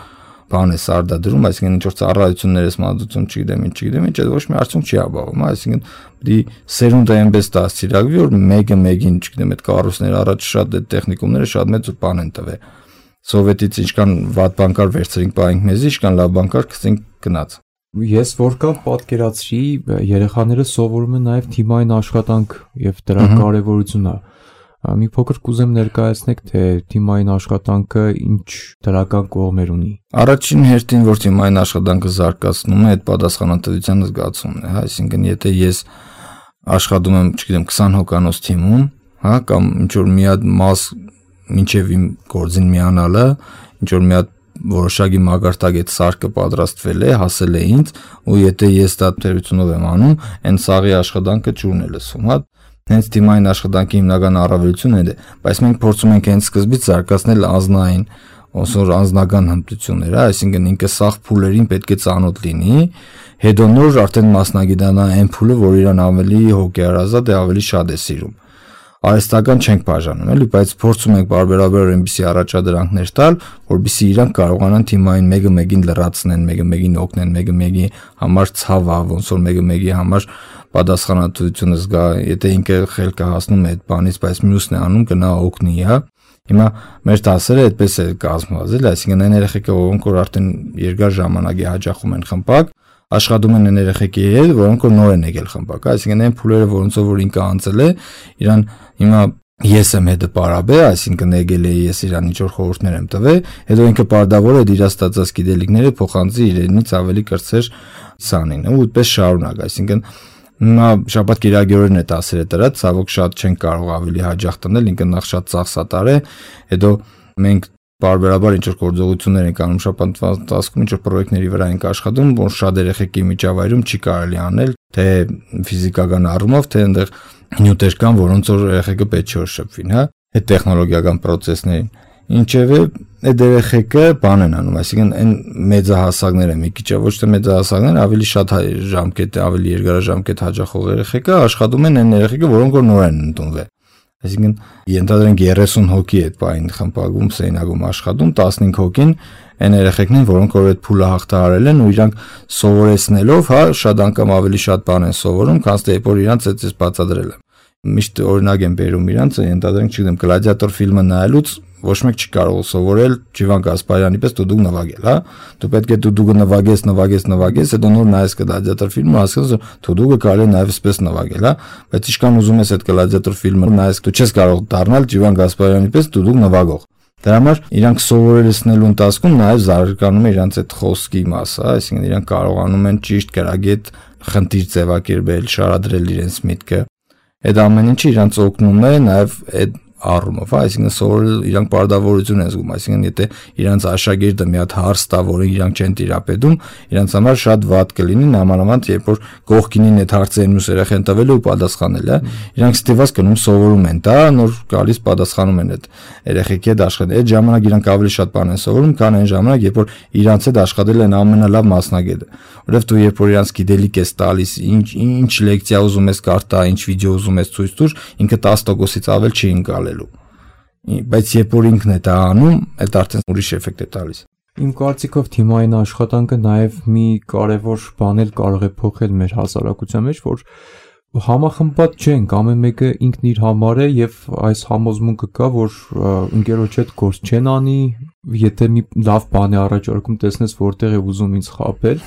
բան ես արտադրում, այսինքն ինչ որ ծառայություններ ես մատուցում, չգիտեմ, ինչ չգիտեմ, ինչ այդ ոչ մի արդյունք չի ապահովում, այսինքն դի սերունդը այնպես դասիրակվի, որ մեկը մեկին, չգիտեմ, այդ կառույցները առաջ շատ այդ տեխնիկումները շատ մեծ բան են տվել։ Սովետից ինչքան վատ բան կար վերցրինք պահենք մեզ, ինչքան լավ բան կար գցենք գնաց։ Ես որքան պատկերացրի, երեխաները սովորում են նաև թիմային աշխատանք եւ դրա կարեւորությունը։ Մի փոքր կուզեմ ներկայացնեք, թե թիմային աշխատանքը ինչ դրական կողմեր ունի։ Առաջին հերթին, որ թիմային աշխատանքը զարգացնում է, այդ պատասխանատվության զգացումն է, հա, այսինքն եթե ես աշխատում եմ, չգիտեմ, քսան հոգանոց թիմում, հա, կամ ինչ որ մի հատ մաս մինչև իմ գործին միանալը, ինչ որ մի հատ որոշակի մագարտակ այդ սարքը պատրաստվել է, հասել է ինձ, ու եթե ես դա թերությունով եմ անում, այն սաղի աշխատանքը ճուրն է լսում, հա։ Հենց թիմային աշխատանքի հիմնական առավելությունն է, բայց մենք փորձում ենք հենց սկզբից զարգացնել անձնային, ոնց անձնական հմտությունները, այսինքն ինքը սաղ փուլերին պետք է ծանոթ լինի, հետո նոր արդեն մասնագիտանա այն փուլը, որ իրան ավելի հոգեարազատ է, ավելի շատ է սիրում։ Արհեստական չենք բաժանում, էլի, բայց փորձում ենք բարբերաբար այնպիսի առաջադրանքներ տալ, որպեսզի իրանք կարողանան թիմային մեկը մեկին լրացնեն, մեկը մեկին օգնեն, մեկը մեկի համար ցավա, ոնց որ մեկը մեկի համար պատասխանատվությունը զգա, եթե ինքը խելքը հասնում է այդ բանից, բայց մյուսն է անում, գնա օգնի, հա։ Հիմա մեր դասերը այդպես է կազմված, էլի, այսինքն այն երեխեքը, որոնք որ արդեն երկար ժամանակ է հաճախում են խմբակ, աշխատում են այն երեխեքի հետ, որոնք որ նոր են եկել խմբակ, այսինքն այն փուլերը, որոնցով որ ինքը անցել է, իրան հիմա ես եմ հետը պարաբե, այսինքն եկել է ես իրան ինչ որ խորհուրդներ եմ տվել, հետո ինքը պարտավոր է իր ստացած գիտելիքները փոխանցի իրենից ավելի կրտսեր սանին, ու այդպես շարունակ, այսինքն հիմա շաբաթ կիրակի է դասերը դրած, ցավոք շատ չեն կարող ավելի հաճախ տնել, ինքը նախ շատ ծախսատար է, հետո մենք բարբերաբար ինչ որ գործողություններ ենք անում շաբաթվա ընթացքում, ինչ որ պրոյեկտների վրա ենք աշխատում, որ շատ երեխեքի միջավայրում չի կարելի անել, թե ֆիզիկական առումով, թե այնտեղ նյութեր կան, որոնց որ երեխեքը պետք չէ որ շփվին, հա, այդ տեխնոլոգիական process-ներին։ Ինչևէ, այդ երեխեքը բան են անում, այսինքն այն մեծահասակները, մի քիչ ոչ թե մեծահասակները, ավելի շատ ժամկետ, ավելի երկարաժամկետ հաճախող երեխեքը աշխատում են այն երեխեքը, որոնք որ նոր են ընդունվել։ Այսինքն ենթադրենք երեսուն հոգի այդ բային խմբակում, սենյակում աշխատում, տասնհինգ հոգին այն երեխեքն են, որոնք որ այդ փուլը հաղթահարել են ու իրանք սովորեցնելով, հա, շատ անգամ ավելի շատ բան են սովորում, քան թե որ իրանք այդպես բացատրել եմ։ Միշտ օրինակ եմ բերում իրանք, ենթադրենք, չգիտեմ, գլադիատոր ֆիլմը նայելուց ոչ մեկ չի կարող սովորել Ջիվան Գասպարյանի պես դուդուկ նվագել, հա։ Դու պետք է դուդուկը նվագես, նվագես, նվագես, հետո նոր նայես գլադիատոր ֆիլմը, հասկանաս, դուդուկը կարելի է նաև այսպես նվագել, հա։ Բայց ինչքան ուզում ես այդ գլադիատոր ֆիլմը նայես, դու չես կարող դառնալ Ջիվան Գասպարյանի պես դուդուկ նվագող։ Դրա համար իրանք սովորեցնելու ընթացքում նաև զարգանում է իրանք այդ խոսքի մասը, այսինքն իրանք կարողանում են ճիշտ գրագետ խնդիր ձևակերպել, շարադրել իրենց միտքը։ Այդ ամեն ինչը իրանք օգնում է նաև այդ առումով, այսինքն սովորել իրանք պարտավորություն են զգում, այսինքն եթե իրանք աշակերտը մի հատ հարց տա, որը իրանք չեն տիրապետում, իրանք համար շատ վատ կլինի, նամանավանդ երբ որ կողքինին այդ հարցերն մյուս երեխեն տվել ու պատասխանել, հա, իրանք ստիվաց կնում սովորում են, դա նոր գալիս պատասխանում են այդ երեխեքի հետ աշխատել։ Այդ ժամանակ իրանք ավելի շատ բան են սովորում, քան այն ժամանակ, երբ որ իրանք հետ աշխատել են ամենալավ մասնագետը, որովհետև դու երբ որ իրանք գիտելիք ես տալիս, ինչ ինչ լեկցիա ուզում ես կարտա, ինչ վիդեո ուզում ես ցույց տուր, ինքը տասը տոկոսից ավել չի ընկալելու։ Բայց երբ որ ինքն է դա անում, այդ արդեն ուրիշ էֆեկտ է տալիս։ Իմ կարծիքով թիմային աշխատանքը նաև մի կարևոր բան էլ կարող է փոխել մեր հասարակության մեջ, որ համախմբված չենք, ամեն մեկը ինքն իր համար է եւ այս համոզմունքը կա, որ ընկերոջ հետ գործ չեն անի, եթե մի լավ բան է առաջարկում, տեսնես որտեղ է ուզում ինձ խաբել։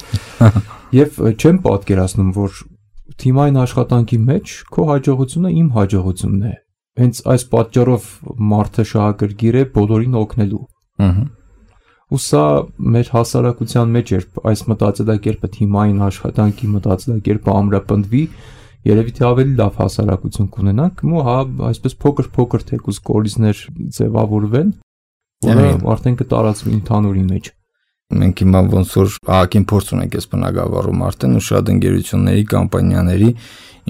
Եվ չեմ պատկերացնում, որ թիմային աշխատանքի մեջ քո հաջողությունը իմ հաջողությունն է։ Հենց այս պատճառով մարդը շահագրգիռ է բոլորին օգնելու։ Ահա։ Ու սա մեր հասարակության մեջ երբ այս մտածելակերպը թիմային աշխատանքի մտածելակերպը ամրապնդվի, երևի թե ավելի լավ հասարակություն կունենանք, ու հա այսպես փոքր-փոքր թեկուզ կորիզներ ձևավորվեն, որը արդեն կտարածվի ընդհանուրի մեջ։ Մենք հիմա ոնց որ ահագին փորձ ունենք այս բնակավարում արդեն ու շատ ընկերությունների, կամպանիաների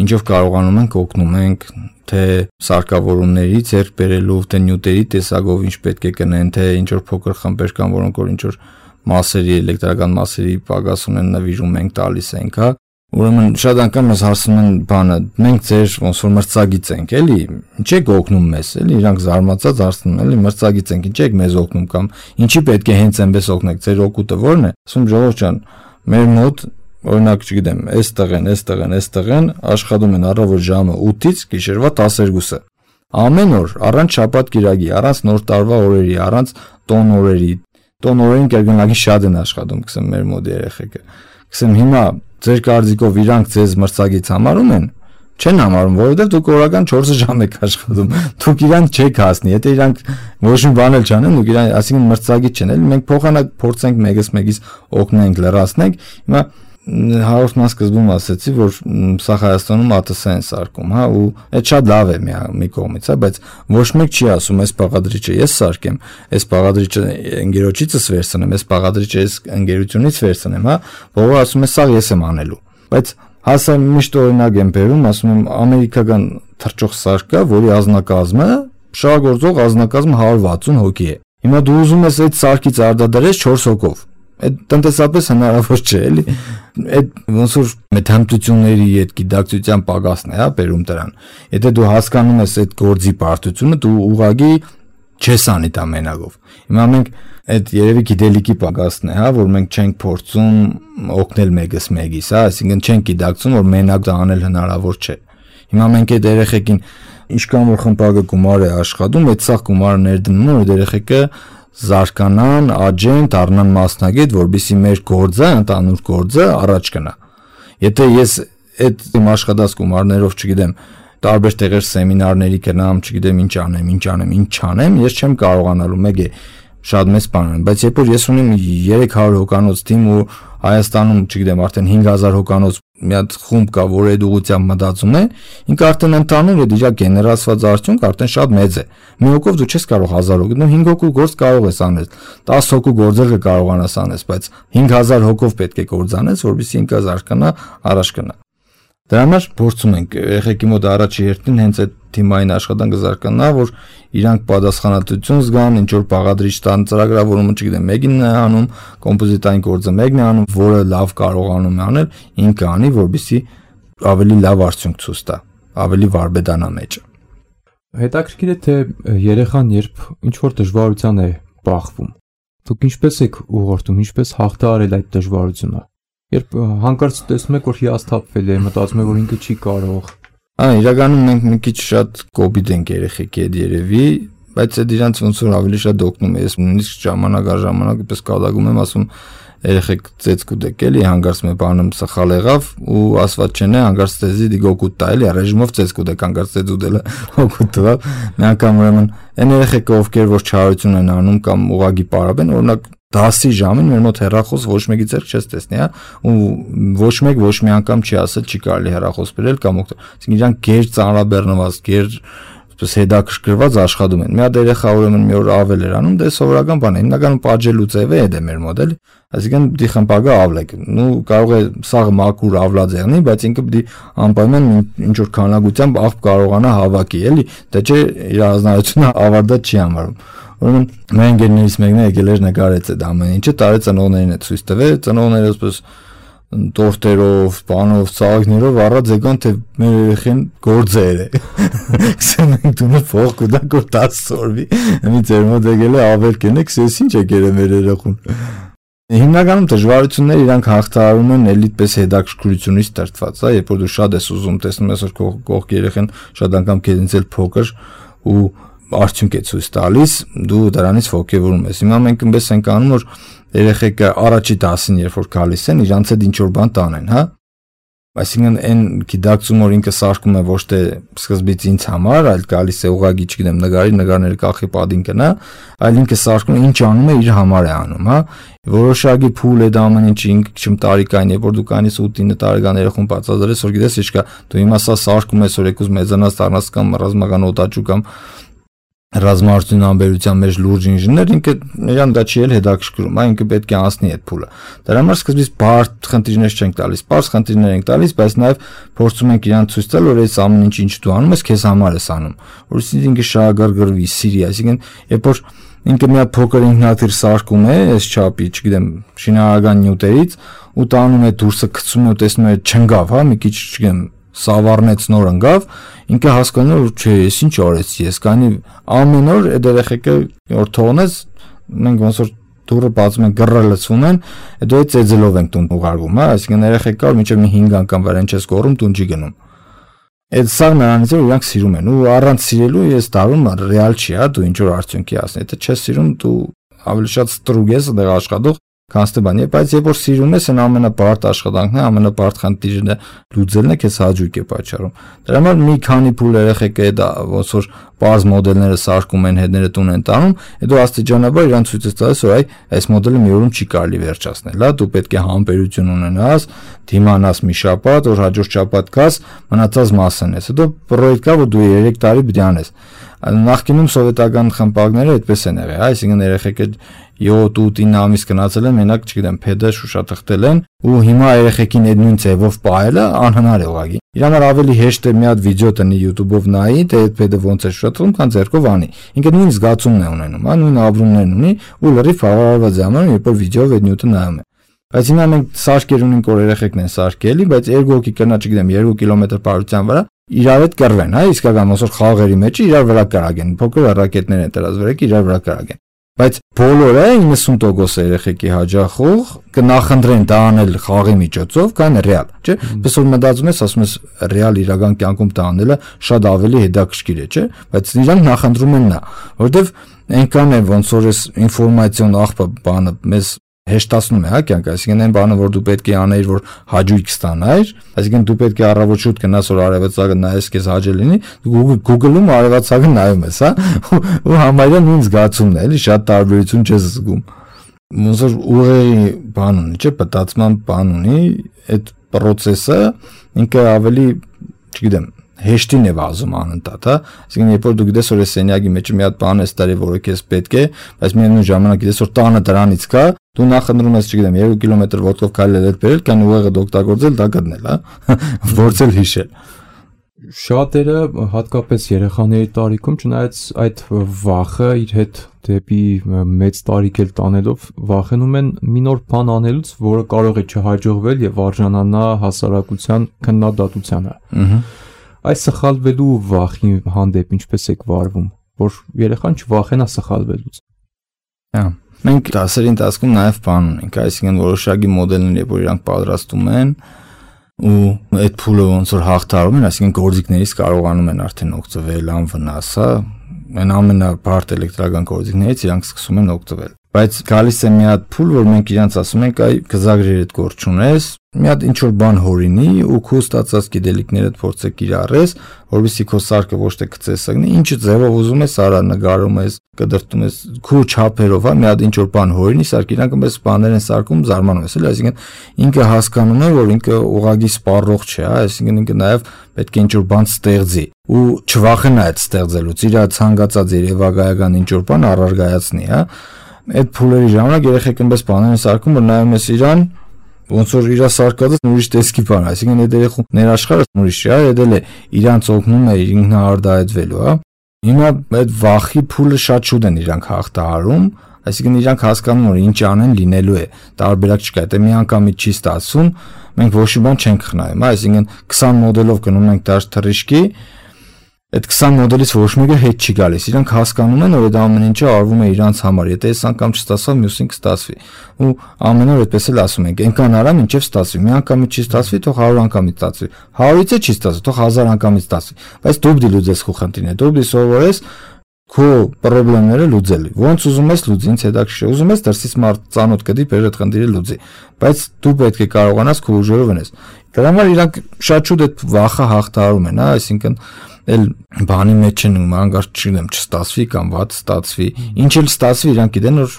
ինչով կարողանում ենք օգնում ենք թե սարքավորումների ձեռք բերելու, թե նյութերի տեսակով ինչ պետք է գնեն, թե ինչ որ փոքր խմբեր կան, որոնք որ ինչ որ մասերի, էլեկտրական մասերի պակաս ունեն, նվիրում ենք, տալիս ենք, հա։ Ուրեմն շատ անգամ մեզ հարցնում են բանը, մենք ձեր ոնց որ մրցակից ենք, էլի, ինչ եք օգնում մեզ, էլի, իրանք զարմացած հարցնում են, էլի, մրցակից ենք, ինչ եք մեզ օգնում կամ ինչի պետք է հենց այնպես օգնեք, ձեր օգուտը ո՞րն է։ Ասում ժողովուրդ ջան, մեր մոտ օրինակ չգիտեմ, այստեղ են, այստեղ են, այստեղ են, աշխատում են առավոտ ժամը ութից գիշերվա տասներկուսը։ Ամեն օր, առանց շաբաթ կիրակի, առանց նոր տարվա օրերի, առանց տոն օրերի, տոն օրերին կերկնակի շատ են աշխատում, գսեմ մեր մոտ երեխեքը։ Գսեմ հիմա ձեր կարծիքով իրանք ձեզ մրցակից համարում են, չեն համարում, որովհետև դուք օրական չորս ժամ եք աշխատում, դուք իրանք չեք հասնի, եթե իրանք ոչ մի բան էլ չանեն, դուք իրան, այսինքն մրցակից չեն, էլի մենք փոխանակ փորձենք մեկս մեկից օգնենք, լրացնենք։ Հիմա հաղորդման սկզբում ասացի, որ սա Հայաստանում ԱՏՍ են սարքում, հա, ու այդ շատ լավ է մի, մի կողմից, հա, բայց ոչ մեկ չի ասում, այս բաղադրիչը ես սարքեմ, այս բաղադրիչը ընկերոջիցս վերցնեմ, այս բաղադրիչը այս ընկերությունից վերցնեմ, հա, որը ասում է սա ես եմ անելու։ Բայց հասա միշտ օրինակ եմ բերում, ասում եմ ամերիկական թռչող սարք կա, որի ազնագազմը, շահագործող ազնագազմը հարյուր վաթսուն հոգի է։ Հիմա դու ուզում ես այդ սարքից արտադրես չորս հոգով։ Այդ տնտեսապես հնարավոր չէ, էլի։ Այդ ոնց որ մեթամտությունների այդ գիտակցության պակասն է, հա, բերում դրան։ Եթե դու հասկանում ես այդ գործի բարդությունը, դու ուղղակի չես անի դա մենակով։ Հիմա մենք այդ երևի գիտելիքի պակասն է, հա, որ մենք չենք փորձում օգնել մեկս մեկից, հա, այսինքն չենք գիտակցում, որ մենակ դա անել հնարավոր չէ։ Հիմա մենք այդ երեխեքին ինչքան որ խմբակը գումար է աշխատում, այդ սաղ գումարը ներդնում են, որ երեխեքը զարգանան, աճեն, դառնան մասնագետ, որովհետեւ մեր գործը, ընդհանուր գործը առաջ գնա։ Եթե ես այդ իմ աշխատած գումարներով, չգիտեմ, տարբեր տեղեր սեմինարների գնամ, չգիտեմ ինչ անեմ, ինչ անեմ, ինչ չանեմ, ես չեմ կարողանալու, մեկ է շատ մեծ բան եմ, բայց երբ որ ես ունեմ երեք հարյուր հոկանոց թիմ ու Հայաստանում, չգիտեմ, արդեն հինգ հազար հոկանոց մի հատ խումբ կա, որ այդ ուղղությամբ մտածում է, ինքը արդեն ընդհանուր է դիժա գեներացված արդյունք արդեն շատ մեծ է։ Մի հոգով դու չես կարող հազար հոգու, դու հինգ հոգու գործ կարող ես անել, տասը հոգու գործեր կկարողանաս անես, բայց հինգ հազար հոգով պետք է գործ անես, որովհետեւ ինքը զարգանա, առաջ գնա։ Դրա համար փորձում ենք երեխեքի մոտ առաջի հերթին հենց այդ թիմային աշխատանքը զարգանա, որ իրանք պատասխանատվություն զգան, ինչ որ բաղադրիչ տան ծրագրավորումը, չգիտեմ, մեկին է անում, կոմպոզիտային գործը մեկն է անում, որը լավ կարողանում է անել, ինքը անի, որպեսզի ավելի լավ արդյունք ցույց տա, ավելի վարպետանա մեջը։ Հետաքրքիր է, թե երեխան երբ ինչ որ դժվարության է բախվում, դուք ինչպես եք ուղղորդում, ինչպես հաղթահարել այդ դժվարությունը։ Երբ հանկարծ տեսնում եք, որ հիասթափվել է, մտածում եք, որ ինքը չի կարող։ Ա, իրականում մենք մի քիչ շատ կոպիտ ենք երեխեքի հետ երևի, բայց այդ իրանց ոնց որ ավելի շատ օգնում է։ Ես նույնիսկ ժամանակ առ ժամանակ պես կատակում եմ, ասում երեխեք ծեծ կուտեք էլի, հանկարծ մի բանում սխալ եղավ ու ասված չեն է, հանկարծ ծեզի դիգոկուտ տա էլի, ռեժիմով ծեծ կուտեք, հանկարծ ծեծ ուտելը օգուտ տվավ։ Մի անգամ ուրեմն այն երեխեքը, ովքեր որ չարություն են անում կամ ուղագի պարապեն, օրինակ դասի ժամին մեր մոտ հեռախոս ոչ մեկի ձեռք չես տեսնի, հա, ու ոչ մեկ ոչ մի անգամ չի ասել չի կարելի հեռախոս բերել կամ օգտվել։ Այսինքն իրանք գեր ծանրաբեռնված, գեր այսպես հետաքրքրված աշխատում են։ Մի հատ երեխա ուրեմն մի օր ավել էր անում, դե սովորական բան է, հիմնականում պատժելու ձև է դա մեր մոդել, այսինքն պիտի խմբակը ավլեք։ Նու կարող է սաղ մաքուր ավլած եղնի, բայց ինքը պիտի անպայման ինչ որ քանակությամբ աղբ կարողանա հավաքի, էլի, դա չէ իր ազնարությունը ավարտած չի համարում։ Ուրեմն մեր ընկերներից մեկն է եկել էր նկարեց այդ ամեն ինչը, տարի ծնողներին է ցույց տվել, ծնողները ասես տորտերով, բանով, ծաղիկներով առած եկան, թե մեր երեխեն գործեր է։ Ասում ենք դու փող կուտա որ դաս սորվի, մի ձեր մոտ եկել է ավել կենեք, ես ինչ եկել է մեր երեխուն։ Հիմնականում դժվարությունները իրանք հաղթահարում են էլի պես հետաքրքրությունից դրդված, հա, երբ որ դու շատ ես ուզում, տեսնում ես որ կողքի երեխեն շատ անգամ քեզից էլ փոքր ու արդյունք է ցույց տալիս, դու դրանից ողջևորում ես։ Հիմա մենք այնպես ենք անում, որ երեխեքը առաջի դասին երբ որ գալիս են, իրանց հետ ինչ որ բան տանեն, հա։ Այսինքն այն գիտակցում որ ինքը սարքում է ոչ թե սկզբից ինձ համար, այլ գալիս է ուղագի, չգիտեմ, նկարի, նկարները կախի падին կնա, այլ ինքը սարքում ինչ անում է իր համար է անում, հա։ Որոշակի փուլ է դա ամեն ինչ ինքը չմ տարիքային, երբ որ դու կանից ութ ինը տարեկան երեխուն բացատրես, որ գիտես ինչ կա, դու հիմա սա սարքում ես, որ եկուս մեծանաց դառնաս կամ ռազմական օտաչու կամ ռազմարտության ամբերության մեջ լուրջ ինժեներ, ինքը իրան դա չի էլ հետաքրքրում, այ ինքը պետք է անցնի այդ փուլը։ Դրա համար սկզբից բարդ խնդիրներ չենք տալիս, պարզ խնդիրներ ենք տալիս, բայց նաև փորձում ենք իրան ցույց տալ, որ այս ամեն ինչ ինչ դու անում ես, քեզ համար ես անում, որովհետեւ ինքը շահագրգռվի, սիրի, այսինքն երբ որ ինքը մի հատ փոքր ինքնաթիռ սարքում է, այս չափի, չգիտեմ, շինարարական նյութերից, ու տանում է դուրսը գցում է ու տեսնում է չընկավ, հա, մի քիչ, չգիտեմ, սավառնեց նոր ընկավ, ինքը հասկանում է որ չէ, ես ինչ արեցի, ես կանի ամեն օր այդ երեխեքը որ թողնես, մենք ոնց որ դուրը բացում են, գրը լցվում են, այդ ու ծեծելով ենք տուն ուղարկում, հա, այսինքն երեխեքը կար մինչև մի հինգ անգամ վրան չես կորում, տուն չի գնում։ Այդ սա նրանից որ իրանք սիրում են, ու առանց սիրելու ես դառնում ռեալ չի, հա, դու ինչ որ արդյունքի հասնի, եթե չես սիրում, դու ավելի շատ ստրուկ ես, դեռ աշխատող, քան թե բան, բայց երբ որ սիրում ես, այն ամենաբարդ աշխատանքն է, ամենաբարդ խնդիրը լուծելն է, քեզ հաճույք է պատճառում։ Դրա համար մի քանի փուլ երեխեք է դա ոնց որ բարձ մոդելները սարքում են, հետները տուն են տանում, հետո աստիճանաբար իրան ցույց է տալիս, որ այ այս մոդելը մի օրում չի կարելի վերջացնել, հա, դու պետք է համբերություն ունենաս, դիմանաս մի շաբաթ, որ հաջորդ շաբաթ գաս, մնացած մասն ես։ Հետո պրոյեկտ կա, որ դու երեք տարի պետք է անես։ Նախկինում սովետական խմբակները այդպես են եղել, այսինքն երեխեքը յոթ ութ ամիս գնացել են, մենակ, չգիտեմ, փեդը շուշաթղթել են, ու հիմա երեխեքին այդ նույն ձևով պահելը անհնար է ուղղակի։ Իրան ավելի հեշտ է մի հատ վիդեո տնի YouTube-ով նայի, թե այդ փեդը ոնց է շուշաթղթում, քան ձեռքով անի։ Ինքը նույն զգացումն է ունենում, հա, նույն ապրումներն ունի, ու լրիվ հավարարված է անում, երբ որ վիդեոով այդ նյութը նայում է։ Բայց հիմա մենք սարքեր ունենք, որ երեխեքն են սարքելի, բայց երկու հոգի կնա, չգիտեմ, երկու կիլոմետր բարության վրա իրար հետ կռվեն, հա, իսկական ոնց որ խաղերի մեջ իրար վրա կարագեն, փոքր ռակետներ են դրած վրայք իրար վրա կարագեն։ Բայց բոլորը իննսուն տոկոս երեխեքի հաջախող կնախընտրեն դա անել խաղի միջոցով, քան ռեալ, չէ՞։ Պես որ մտածում ես, ասում ես ռեալ իրական կյանքում դա անելը շատ ավելի հետաքրքիր է, չէ՞։ Բայց իրանք նախընտրում են նա, որովհետև այնքան է ոնց որ այս ինֆորմացիոն աղբը բանը մեզ հեշտացնում է, հա, կյանքը, այսինքն այն բանը, որ դու պետք է անեիր, որ հաճույք ստանայր, այսինքն դու պետք է առավոտ շուտ գնաս, որ արևածագը նայես, քեզ հաճելի լինի, Google-ում արևածագը նայում ես, հա, ու համարյա նույն զգացումն է, էլի շատ տարբերություն չես զգում։ Ոնց որ ուղեղի բան ունի, չէ, պատածման բան ունի, այդ process-ը ինքը ավելի, չգիտեմ, հեշտին է վազում անընդհատ, հա, այսինքն երբ որ դու գիտես, որ այս սենյակի մեջ մի հատ բան է ստարի, որը քեզ պետք է, բայց միևնույն ժամանակ գիտես, որ տանը դրանից կա, դու նախընտրում ես, չգիտեմ, երկու կիլոմետր ոտքով քայլել հետ բերել, կան ուղեղը օգտագործել, դա գտնել, հա, որցել հիշել։ Շատերը, հատկապես երեխաների տարիքում, չնայած այդ վախը իր հետ դեպի մեծ տարիք էլ տանելով, վախենում են մի նոր բան անելուց, որը կարող է չհաջողվել եւ արժանանա հասարակության քննադատությանը։ Ահա Այս սխալվելու վախի հանդեպ ինչպես եք վարվում, որ երեխան չվախենա սխալվելուց։ Հա, մենք դասերի ընթացքում նաև բան ունենք, այսինքն որոշակի մոդելներ, երբ որ իրանք պատրաստում են, ու այդ փուլը ոնց որ հաղթարում են, այսինքն գործիքներից կարողանում են արդեն օգտվել անվնաս, հա, այն ամենաբարդ էլեկտրական գործիքներից իրանք սկսում են օգտվել։ Բայց գալիս է մի հատ փուլ, որ մենք իրանց ասում ենք, այ գզագրեր այդ գործ չունես, մի հատ ինչ որ բան հորինի ու քո ստացած գիտելիքներդ փորձեք կիրառես, որովհետեւ քո սարքը ոչ թե գծես ակնի, ինչ ձևով ուզում ես, արա նկարում ես, կդրտում ես, քո չափերով, հա, մի հատ ինչ որ բան հորինի, սարք իրանք մեզ բաներ են սարքում, զարմանում ես, էլի, այսինքն ինքը հասկանում է, որ ինքը ուղագի սպառող չէ, հա, այսինքն ինքը նաև պետք է ինչ որ բան ստեղծի ու չվախենա այդ ստեղծելուց, իր ցանկացած երևակայական ինչ որ բան առարգայացնի, հա։ Այդ փուլերի ժամանակ երեխեք այնպես բաներ են սարքում, որ նայում ես իրան, ոնց որ իրա սարկածը ուրիշ տեսքի բան, այսինքն այդ երեխու ներաշխարհը ուրիշ է, այդ էլ է իրանց օգնում է ինքնահարդայնվելու, հա։ Հիմա այդ վախի փուլը շատ շուտ են իրանք հաղթահարում, այսինքն իրանք հասկանում որ ինչ անեն լինելու է, տարբերակ չկա, դա մի անգամից չի ստացվում, մենք ոչ մի բան չենք խնայում, այսինքն քսան մոդելով գնում ենք դաշ թռիչքի, այդ քսան մոդելից ոչ մեկը հետ չի գալիս, իրանք հասկանում են, որ այդ ամեն ինչը արվում է իրանց համար, եթե այս անգամ չստացավ, մյուսին կստացվի, ու ամեն օր այդպես էլ ասում ենք, այնքան արա մինչև ստացվի, մի անգամից չի ստացվի, թող հարյուր անգամից ստացվի, հարյուրից չի ստացվի, թող հազար անգամից ստացվի, բայց դու դի լուծես քո խնդիրները, դու դի սովորես քո խնդիրները լուծել, ոնց ուզում ես լուծի, ինձ հետաքրքիր է, ուզում ես դրսից մարդ ծանոթ կդի, բեր այդ խնդիրը լուծի, բայց դու պետք է կարողանաս քո ուժերով ունես։ Դրա համար իրանք շատ շուտ այդ վախը հաղթահարում են, հա, այսինքն էլ բանի մեջ են ու անգարտ չգիտեմ չստացվի կամ վատ ստացվի, ինչ էլ ստացվի, իրանք գիտեն որ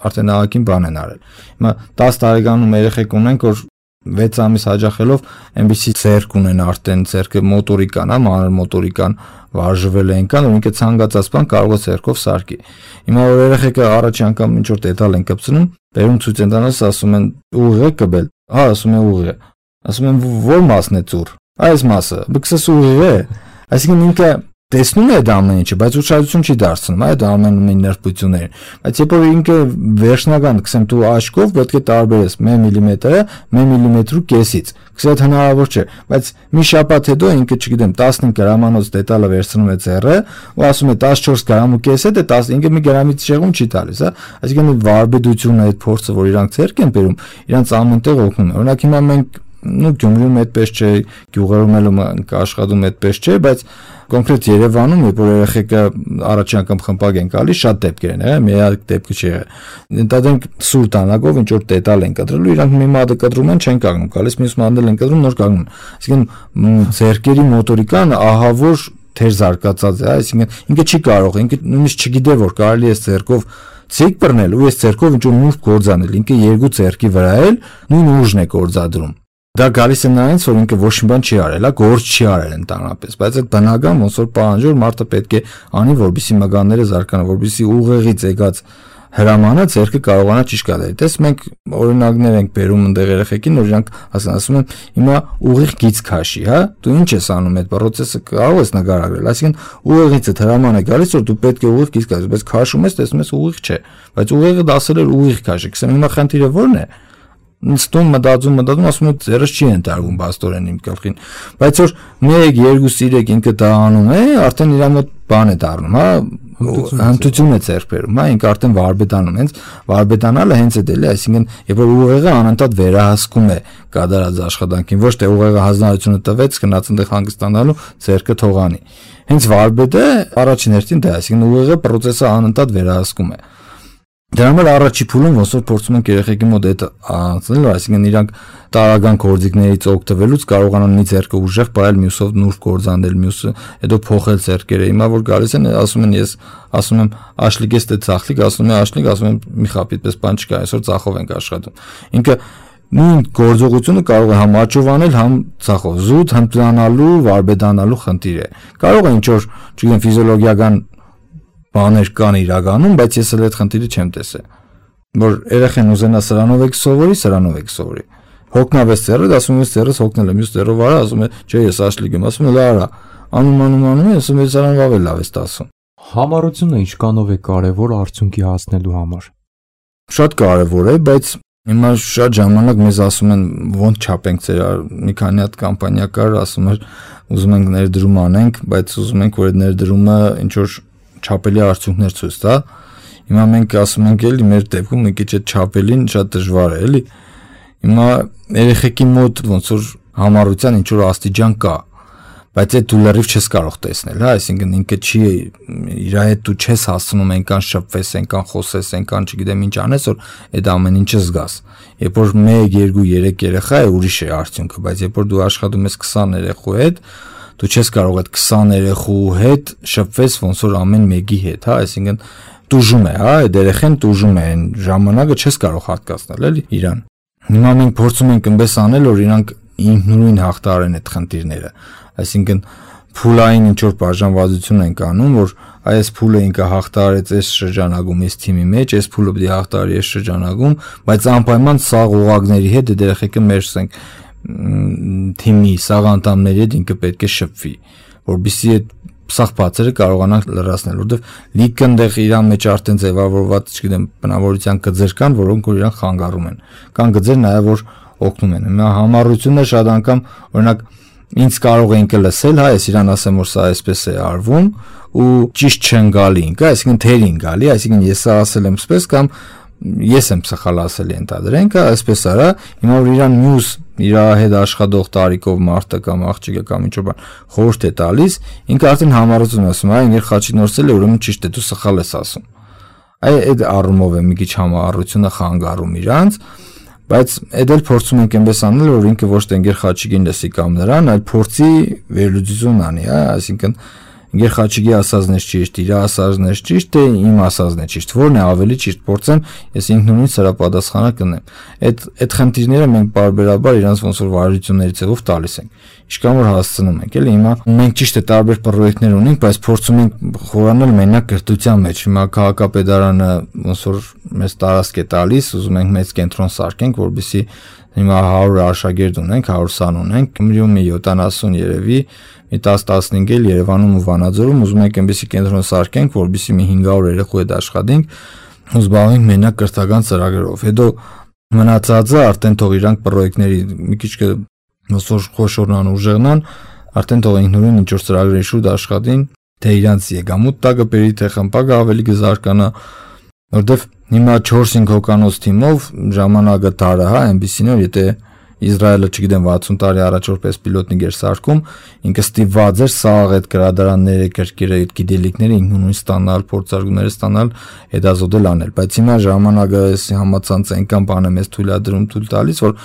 արդեն ահագին բան են արել։ Հիմա տաս տարեկանում երեխեք ունենք, որ վեց ամիս հաջախելով այնպեսի ձեռք ունեն արդեն, ձեռքը մոտորիկան, հա, մանր մոտորիկան վարժվել է այնքան, որ ինքը ցանկացած բան կարող է ձեռքով սարքի։ Հիմա որ երեխեքը առաջի անգամ ինչ որ դետալ են կպցնում, բերում ցույց են տալիս, ասում են ուղիղ է կբել, հա, ասում են ուղիղ է, ասում են որ մասն է ծուռ, այս մասը, բքսես ուղիղ է, այսինքն ինքը տեսնում է դա ամեն ինչը, բայց ուշադրություն չի դարձնում, այ դա ամեն մի նրբություններին։ Բայց երբ որ ինքը վերջնական, ասեմ, դու աչքով պետք է տարբերես մե միլիմետրը մե միլիմետրու կեսից։ Քսե դա հնարավոր չէ, բայց մի շաբաթ հետո ինքը, չգիտեմ, տասնհինգ գրամանոց դետալը վերցնում է ձեռը ու ասում է տասնչորս գրամ ու կես է, դե տասնհինգը մի գրամից շեղում չի տալիս, հա։ Այսինքն վարբեդությունը, այդ փորձը, որ իրանք ձեռք են բերում, իրանք ամենտեղ օգնում է։ Օրինակ հիմա մենք նու Գյումրիում այդպես չէ, գյուղերում էլ աշխատում այդպես չէ, բայց կոնկրետ Երևանում, երբ որ երեխեքը առաջին անգամ խմբակ են գալիս, շատ դեպքեր են եղել, միակ դեպքը չի եղել։ Ընդհանրենք սուր տանակով ինչ որ տետալ են կտրելու, իրանք մի մատը կտրում են, չեն կանգնում, գալիս մյուս մատն են կտրում, նոր կանգնում։ Այսինքն ձեռքերի մոտորիկան ահավոր թեր զարգացած է, այսինքն ինքը չի կարող, ինքը նույնիսկ չգիտե որ կարելի է ձեռքով ցիկ բռնել ու այս ձեռքով ինչ որ նուրբ գործանել, ինքը երկու ձեռքի վրա էլ նույն ուժն է գործադրում։ Դա գալիս է նրանից, որ ինքը ոչ մի բան չի արել, գործ չի արել ընդհանրապես, բայց այդ բնական ոնց որ պահանջով մարդը պետք է անի, որպեսզի մագանները զարգանան, որպեսզի ուղեղից եկած հրամանը ձեռքը կարողանա ճիշտ կատարել։ Տես մենք օրինակներ ենք բերում այնտեղ երեխեքին, որ իրանք ասում են, հիմա ուղիղ գիծ քաշի, հա, դու ինչ ես անում այդ process-ը կարող ես նկարագրել, այսինքն ուղեղից այդ հրամանը գալիս, որ դու պետք է ուղիղ գիծ քաշես, բայց քաշում ես, տեսնում ես ուղիղ չէ, բայց ուղեղը դասել էր ուղիղ քաշի, ասեմ հիմա խնդիրը ո՞րն է։ Նստում մտածում մտածում ասում եմ ձեռս չի ընտարվում բաստորեն իմ գլխին, բայց որ մեկ երկու սիրեք ինքը դա անում է, արդեն իր մոտ բան է դառնում, հա, հմտություն է ձեռք բերում, հա, ինքը արդեն վարպետանում, հենց վարպետանալը հենց այդ էլ է, այսինքն երբ որ ուղեղը անընդհատ վերահսկում է կատարած աշխատանքին, ոչ թե ուղեղը հանձնարարությունը տվեց գնաց այնտեղ հանգստանալու ձեռքը թողանի։ Հենց վարպետը առաջին հերթին դա է, այսինքն ուղեղը process-ը անընդհատ վերահսկում է։ Դրա համար առաջի փուլում ոնց որ փորձում ենք երեխեքի մոտ այդ անցնել, այսինքն իրանք տարական գործիքներից օգտվելուց կարողանան մի ձեռքը ուժեղ բայել, մյուսով նուրբ գործանել, մյուսը հետո փոխել ձեռքերը։ Հիմա որ գալիս են, ասում են ես ասում եմ աշլիկ ես դե ծախլիկ, ասում եմ աշլիկ, ասում եմ մի խապ այդպես բան չկա, այսօր ծախով ենք աշխատում։ Ինքը նույն գործողությունը կարող է համ աճով անել, համ ծախով, զուտ հմտանալու, վարպետանալու խնդիր է։ Կարող է ինչ որ, չգիտեմ, ֆիզիոլոգիական բաներ կան իրականում, բայց ես էլ այդ խնդիրը չեմ տեսել, որ երեխան ուզենա սրանով եք սովորի, սրանով եք սովորի։ Հոգնավես ծերը, ասում ես ծերս հոգնել եմ, մյուս ծերով արա, ասում է, չէ, ես աշլիկ եմ, ասում է, լա, անում անում անում, ասում է, սրանով ավել լավ ես ասում։ Համառությունը ինչքանով է կարևոր արդյունքի հասնելու համար։ Շատ կարևոր է, բայց հիմա շատ ժամանակ մեզ ասում են ոնց չափենք ծեր, մի քանի հատ կամպանիա կար, ասում էր, ուզում ենք ներդրում անենք, բայց ուզում ենք որ այդ ներդրումը ինչ որ չափելի արդյունքներ ցույց տա։ Հիմա մենք ասում ենք էլի մեր դեպքում մի քիչ այդ չափելին շատ դժվար է, էլի։ Հիմա երեխեքի մոտ ոնց որ համառության ինչ որ աստիճան կա, բայց այդ դու լրիվ չես կարող տեսնել, հա, այսինքն ինքը չի իր հետ դու չես հասցնում այնքան շփվես, այնքան խոսես, այնքան չգիտեմ ինչ անես, որ այդ ամեն ինչը զգաս։ Երբ որ մեկ, երկու, երեք երեխա է, ուրիշ է արդյունքը, բայց երբ որ դու աշխատում ես քսան երեխու հետ, դու չես կարող այդ քսան երեխու հետ շփվես ոնց որ ամեն մեկի հետ, հա, այսինքն տուժում է, հա, այդ երեխան տուժում է, այն ժամանակը չես կարող հատկացնել, էլի իրան։ Հիմա մենք փորձում ենք այնպես անել, որ իրանք ինքնուրույն հաղթարեն այդ խնդիրները, այսինքն փուլային ինչ որ բաժանվածություն ենք անում, որ այս փուլը ինքը հաղթարեց այս շրջանագում այս թիմի մեջ, այս փուլը պետք է հաղթարի այս շրջանագում, բայց անպայման սաղ ուղակների հետ այդ երեխեքը մեջսենք թիմի սաղ անդամների հետ ինքը պետք է շփվի, որովհետեւ այդ սաղ բացերը կարողանանք լրացնել, որովհետեւ լիքը այնտեղ իրան մեջ արդեն ձևավորված, չգիտեմ, բնավորության գծեր կան, որոնք որ իրան խանգարում են։ Կան գծեր նաեւ որ օգնում են։ Հիմա համառությունը շատ անգամ, օրինակ, ինձ կարող է ինքը լսել, հա, ես իրան ասեմ, որ սա այսպես է արվում ու ճիշտ չեն գալի ինքը, այսինքն թերին գալի, այսինքն ես սա ասել եմ այսպես կամ ես եմ սխալ ասել ենթադրենք, այսպես արա, հիմա որ իրան մյուս իր հետ աշխատող տարիքով մարդը կամ աղջիկը կամ ինչ որ բան խորհուրդ է տալիս, ինքը արդեն համառություն ասում, այ ինքը խաչի նորսել է, ուրեմն ճիշտ է, դու սխալ ես ասում։ Այ այդ առումով է մի քիչ համառությունը խանգարում իրանց, բայց այդ էլ փորձում ենք այնպես անել, որ ինքը ոչ թե ինքեր խաչիկին լսի կամ նրան, այլ փորձի վերլուծություն անի, հա, այսինքն ինքեր խաչիկի ասածն է ճիշտ, իր ասածն է ճիշտ, թե իմ ասածն է ճիշտ, որն է ավելի ճիշտ, փորձեմ ես ինքնուրույն սրա պատասխանը կնեմ։ Այդ այդ խնդիրները մենք բարբերաբար իրանց ոնց որ վարությունների ձևով տալիս ենք։ Ինչքան որ հասցնում ենք, էլի հիմա մենք ճիշտ է տարբեր պրոյեկտներ ունենք, բայց փորձում ենք խորանալ մենակ կրթության մեջ։ Հիմա քաղաքապետարանը ոնց որ մեզ տարածք է տալիս, ուզում ենք մեծ կենտրոն սարքենք, որովհետեւ հիմա հարյուր աշակերտ ունենք, հարյուր սան ունենք, Գյումրիում մի յոթանասուն երևի, մի տասը տասնհինգ էլ Երևանում ու Վանաձորում ուզում ենք այնպեսի կենտրոն սարքենք, որովհետեւ մի հինգ հարյուր երեխու հետ աշխատենք ու զբաղվենք մենակ կրթական ծրագրերով։ Հետո մնացածը արդեն թող իրանք պրոյեկտների մի քիչ ոնց խոշորնան ուժեղնան, արդեն թող ինքնուրույն ինչ որ ծրագրերի շուրջ աշխատին, թե իրանց եկամուտ տակը բերի, թե խմբակը ավելի կզարգանա, որովհետեւ հիմա չորս հինգ հոկանոց թիմով ժամանակը տարա, հա, այնպեսին որ եթե Իսրայելը, չգիտեմ, վաթսուն տարի առաջ որպես պիլոտնիկ էր սարքում, ինքը ստիպված էր սաղ այդ գրադարանները, կրկերը, այդ գիտելիքները ինքնուրույն ստանալ, փորձարկումները ստանալ, հետազոտել անել, բայց հիմա ժամանակը համացանց այնքան բան է մեզ թույլատրում, թույլ տալիս, որ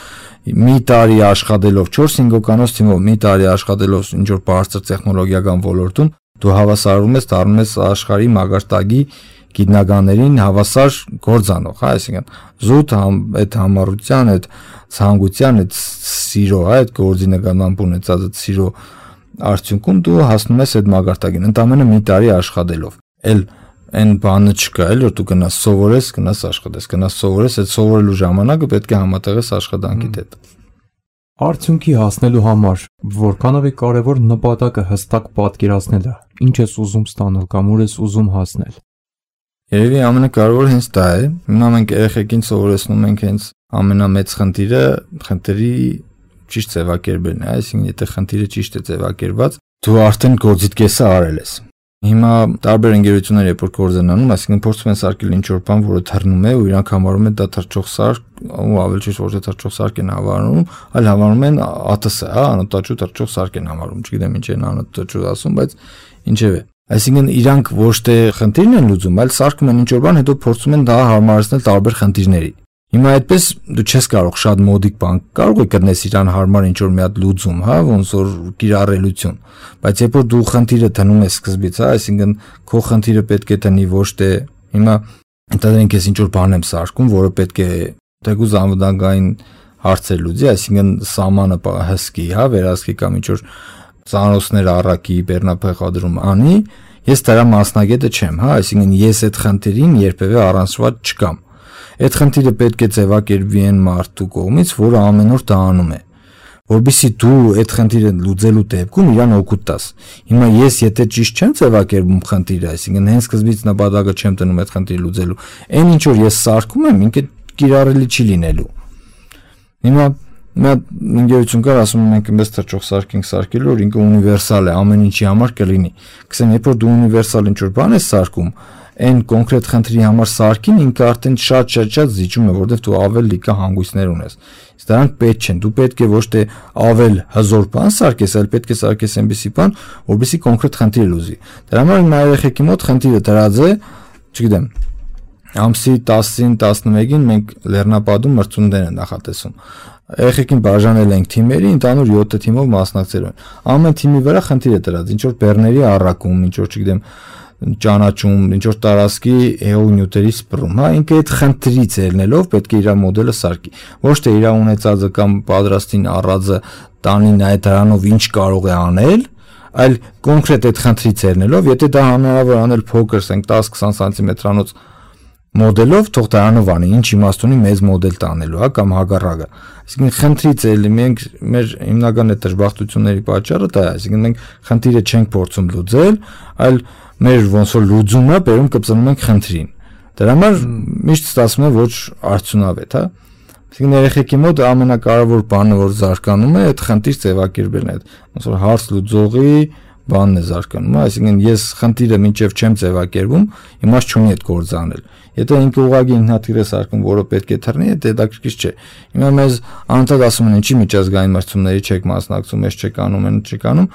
մի տարի աշխատելով, չորս-հինգ հոգանոց թիմով մի տարի աշխատելով ինչ որ բարձր տեխնոլոգիական ոլորտում, դու հավասարում ես, դառնում ես աշխարհի մագարտագի գիտնականներին հավասար գործանող, հա, այսինքն զուտ այդ համառության, այդ ցանկության, այդ սիրո, հա, այդ գործի նկատմամբ ունեցած այդ սիրո արդյունքում դու հասնում ես այդ մագարտագին, ընդամենը մի տարի աշխատելով։ Էլ այն բանը չկա, էլ որ դու գնաս սովորես, գնաս աշխատես, գնաս սովորես, այդ սովորելու ժամանակը պետք է համատեղես աշխատանքիդ հետ։ Արդյունքի հասնելու համար որքանով է կարևոր նպատակը հստակ պատկերացնելը, ինչ ես ուզում ստանալ կամ ուր ես ուզում հասնել։ Երևի ամենակարևորը հենց դա է։ Հիմա մենք երեխեքին սովորեցնում ենք հենց ամենամեծ խնդիրը խնդրի ճիշտ ձևակերպելն է, այսինքն եթե խնդիրը ճիշտ է ձևակերպված, դու արդեն գործիդ կեսը արել ես։ Հիմա տարբեր ընկերություններ երբ որ գործ են անում, այսինքն փորձում են սարքել ինչ-որ բան, որը թռնում է, ու իրանք համարում են դա թռչող սարք, ու ավելի ճիշտ ոչ թե թռչող սարք են հավանում, այլ հավանում են ԱՏՍ, հա, անօդաչու թռչող սարք են հավանում, չգիտեմ ինչ են անօդաչու ասում, բայց ինչևէ։ Այսինքն իրանք ոչ թե խնդիրն են լուծում, այլ սարքում են ինչ-որ բան, հետո փորձում են դա հարմարեցնել տարբեր խնդիրների։ Հիմա այդպես դու չես կարող շատ մոդիկ բան, կարող ես գտնես իրան հարմար ինչ-որ մի հատ լուծում, հա, ոնց որ կիրառելություն, բայց երբ որ դու խնդիրը դնում ես սկզբից, հա, այսինքն քո խնդիրը պետք է դնի ոչ թե հիմա ընդհանրենք ես ինչ-որ բան եմ սարքում, որը պետք է թեկուզ անվտանգային հարցեր լուծի, այսինքն սամանը հսկի, հա, վերահսկի կամ ինչ-որ ծանոթներ առակի բեռնափոխադրում անի, ես դրա մասնագետը չեմ, հա, այսինքն ես այդ խնդիրին երբևէ առանցված չկամ։ Այդ խնդիրը պետք է ձևակերպվի այն մարդու կողմից, որը ամեն օր դա անում է, որովհետեւ դու այդ խնդիրը լուծելու դեպքում իրան օգուտ տաս։ Հիմա ես եթե ճիշտ չեմ ձևակերպում խնդիրը, այսինքն հենց սկզբից նպատակը չեմ տնում այդ խնդիրը լուծելու, այն ինչ որ ես սարքում եմ, ինքը կիրառելի չի լինելու։ Հիմա Նա ինգերություն կար ասում են մենք մեզ թռչող սարք ենք սարքելու, որ ինքը ունիվերսալ է, ամեն ինչի համար կլինի։ Գսեմ, երբ որ դու ունիվերսալ ինչ-որ բան ես սարքում, այն կոնկրետ խնդրի համար սարքին ինքը արդեն շատ-շատ-շատ զիջում է, որովհետև դու ավել լիքը հանգույցներ ունես։ Իսկ դրանք պետք չեն։ Դու պետք է ոչ թե ավել հզոր բան սարքես, այլ պետք է սարքես այնպիսի բան, որովհետև կոնկրետ խնդիր լուծի։ Դրա համար իմ երեխեքի մոտ խնդիրը դրած է, չգիտեմ, ամսի տասին տասնմեկին մենք Լեռնապադում մրցումներ են նախատեսում։ Երեխեքին բաժանել ենք թիմերի, ընդհանուր յոթ թիմով մասնակցել են։ Ամեն թիմի վրա խնդիր է դրած, ինչ որ բեռների առակում, ինչ որ չգիտեմ, ճանաչում, ինչ որ տարածքի հեոնյուտերի սպռում, հա, ինքը այդ խնդրից ելնելով պետք է իր մոդելը սարքի։ Ոչ թե իր ունեցածը կամ պատրաստին առածը տանի նայ դրանով ինչ կարող է անել, այլ կոնկրետ այդ խնդրից ելնելով, եթե դա հնարավոր անել փոքր, ասենք տաս-քսան սանտիմետրանոց մոդելով, թող դրանով անի, ինչ իմաստ ունի մեծ մոդել տանելու, հա, կամ հակառակը։ Այսինքն խնդրից էլի մենք մեր հիմնական այդ դժբախտությունների պատճառը դա է, այսինքն մենք խնդիրը չենք փորձում լուծել, այլ մեր ոնց որ լուծումը բերում կպցնում ենք խնդրին։ Դրա համար միշտ ստացվում է ոչ արդյունավետ, հա։ Այսինքն երեխեքի մոտ ամենակարևոր բանը, որ զարգանում է, այդ խնդիր ձևակերպելն է, ոնց որ հարց լուծողի բանն է զարգանում, այսինքն ես խնդիրը մինչև չեմ ձևակերպում, իմաստ չունի այդ գործը անել։ Եթե ինքը ուղղակի ինքնաթիռ է սարքում, որը պետք է թռնի, դա հետաքրքիր չէ։ Հիմա մեզ անընդհատ ասում են, ինչի միջազգային մրցումների չեք մասնակցում, ես չեք անում, են չեք անում,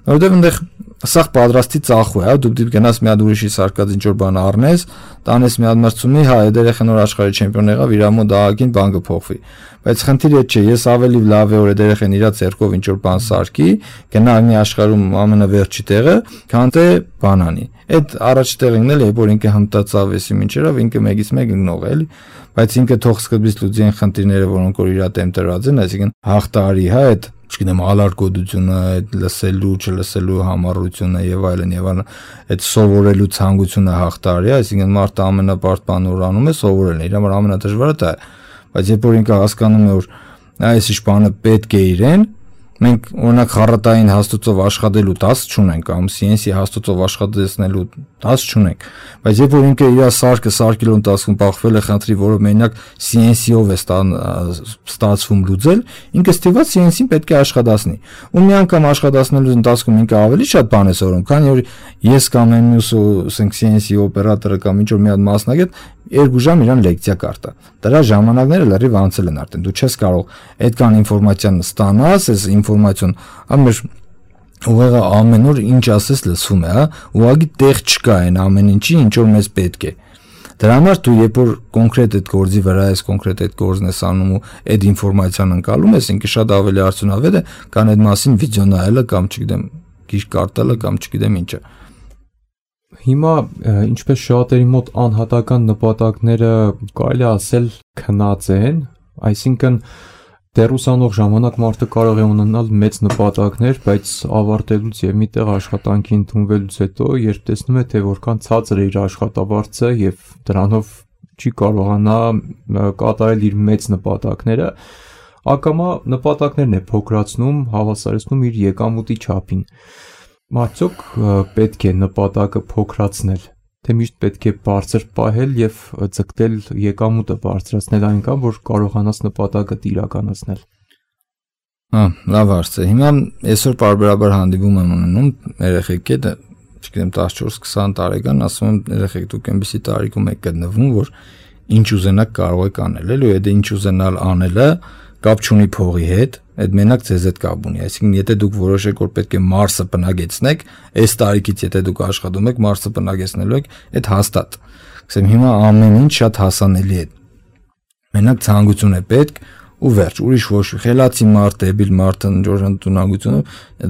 որովհետև այնտեղ սաղ պատրաստի ծախու է, հա, դու դիպ գնաս մի հատ ուրիշի սարկած ինչ որ բան առնես, տանես մի հատ մրցումի, հա, այդ երեխան որ աշխարհի չեմպիոն եղավ, իր մոտ դահակին բան կփոխվի։ Բայց խնդիրը չէ, ես ավելի լավ է որ այդ երեխան իր ցերկով ինչ որ բան սարքի, գնա մի աշխարհում ամենավերջի տեղը, քան թե բանանի։ Այդ առաջի տեղին էլ է, որ ինքը հմտացավ էսի ինչերով, ինքը մեկից մեկ ընկնող է, էլի, բայց ինքը թող սկզբից լուծի այն խնդիրները, որոնք որ իր դեմ տրված են, այսինքն հաղթարի, հա, այդ չգիտեմ, ալարկոդությունը, այդ լսելու, չլսելու համառությունը եւ այլն եւ այլն, այդ սովորելու ցանկությունը հաղթարի, այսինքն մարդը ամենաբարդ բանը որ անում է սովորելն է, իր համար ամենադժվարը դա է։ Բայց երբ որ ինքը հասկանում է, որ այս ինչ բանը պետք է իրեն, մենք օրինակ խառատային հաստոցով աշխատելու տասը չունենք, կամ սի են սի հաստոցով աշխատեցնելու Հաս չունենք, բայց երբ որ ինքը իր սարքը սարքելու ընթացքում բախվել է խնդրի, որը մենակ C N C-ով է ստացվում լուծել, ինքը ստիված C N C-ին պետք է աշխատացնի։ Ու մի անգամ աշխատացնելու ընթացքում ինքը ավելի շատ բան է սովորում, քանի որ ես կամ այն մյուս ասենք C N C օպերատորը կամ ինչ որ մի հատ մասնագետ երկու ժամ իրան լեկցիա կարտա։ Դրա ժամանակները լրիվ անցել են արդեն։ Դու չես կարող այդքան ինֆորմացիան ստանաս, այս ինֆորմացիան ամեն ուղղակի ամեն օր ինչ ասես լսվում է, հա, ուղղակի տեղ չկա այն ամեն ինչի, ինչ որ մեզ պետք է։ Դրա համար դու երբ որ կոնկրետ այդ գործի վրա ես, կոնկրետ այդ գործն ես անում ու այդ ինֆորմացիան ընկալում ես, ինքը շատ ավելի արդյունավետ է, քան այդ մասին վիդեո նայելը կամ չգիտեմ, գիրք կարդալը կամ չգիտեմ ինչը։ Հիմա ինչպես շատերի մոտ անհատական նպատակները կարելի ասել քնած են, այսինքն դեռ ուսանող ժամանակ մարդը կարող է ունենալ մեծ նպատակներ, բայց ավարտելուց եւ միտեղ աշխատանքի ընդունվելուց հետո, երբ տեսնում է, թե որքան ցածր է իր աշխատավարձը եւ դրանով չի կարողանա կատարել իր մեծ նպատակները, ակամա նպատակներն է փոքրացնում, հավասարեցնում իր եկամուտի չափին։ Արդյոք պետք է նպատակը փոքրացնել, թե միշտ պետք է բարձր պահել եւ ձգտել եկամուտը բարձրացնել այնքան, որ կարողանաս նպատակը իրականացնել։ Հա, լավ հարց է։ Հիմա այսօր բարբերաբար հանդիպում եմ ունենում երեխեք հետ, չգիտեմ տասնչորս քսան տարեկան, ասում եմ երեխեք դուք այնպեսի տարիքում եք գտնվում, որ ինչ ուզենաք կարող եք անել, էլի այդ ինչ ուզենալ անելը կապ չունի փողի հետ, այդ մենակ ձեզ հետ կապ ունի։ Այսինքն եթե դուք որոշեք, որ պետք է Մարսը բնակեցնեք, այս տարիքից եթե դուք աշխատում եք, Մարսը բնակեցնելու եք, այդ հաստատ։ Ասեմ հիմա ամեն ինչ շատ հասանելի է։ Մենակ ցանկություն է պետք ու վերջ, ուրիշ ոչ խելացի մարդ, դեբիլ մարդ, ընջոր ընդունակությունը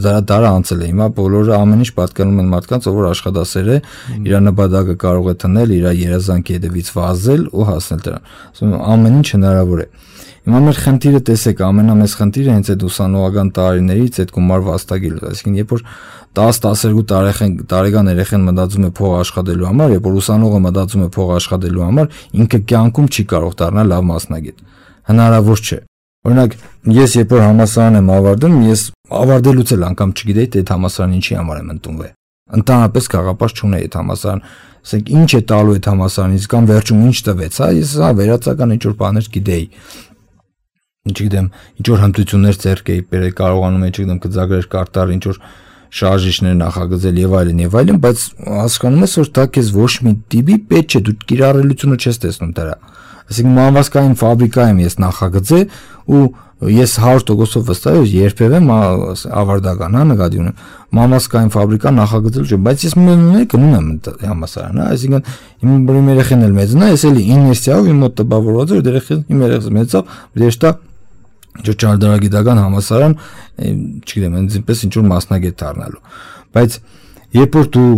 դա դարը անցել է։ Հիմա բոլորը ամեն ինչ պատկանում են մարդկանց, ով որ աշխատասեր է, իր նպատակը կարող է տնել, իր երազանքի հետևից վազել ու հասնել դրան։ Ասում եմ ամեն ինչ հնարավոր է։ Հիմա մեր խնդիրը տեսեք, ամենամեծ խնդիրը հենց այդ ուսանողական տարիներից այդ գումար վաստակելը, այսինքն երբ որ տասը տասներկու տարեկան երեխան մտածում է փող աշխատելու համար, երբ որ ուսանողը մտածում է փող աշխատելու համար, ինքը կյանքում չի կարող դառնալ լավ մասնագետ։ Հնարավոր չէ։ Օրինակ, ես երբ որ համալսարան եմ ավարտում, ես ավարտելուց էլ անգամ չգիտեի, թե այդ համալսարանը ինչի համար եմ ընդունվել։ Ընդհանրապես գաղափար չունեի այդ համալսարան, ասենք ինչ է տալու այդ համալսարանից կամ վերջում ինչ տվեց, հա, ես հա վերացական ինչ որ բաներ գիտեի։ Չգիտեմ, ինչ որ հմտություններ ձեռք էի բերել, կարողանում էի, չգիտեմ, գծագրեր կարտալ, ինչ որ շարժիչներ նախագծել եւ այլն եւ այլն, բայց հասկանում ես, որ դա քեզ ոչ մի տիպի պետք չէ, դու կիրառելիությունը չես տեսնում դրա։ Այսինքն մանավասկային ֆաբրիկա եմ ես նախագծել ու ես հարյուր տոկոսով վստահ եմ, երբևէ ավարտական, հա, նկատի ունեմ, մանավասկային ֆաբրիկա նախագծել չէ, բայց ես մենակ գնում եմ համալսարան, հա, այսինքն իմ երեխան էլ մեծն է, ես էլի իներցիայով իմ մոտ տպավորված էր, երեխան իմ երեխան մեծավ, դերշտա Ինչ ճարտարագիտական համալսարան, չգիտեմ, այնպես ինչ որ մասնագետ դառնալու։ Բայց երբ որ դու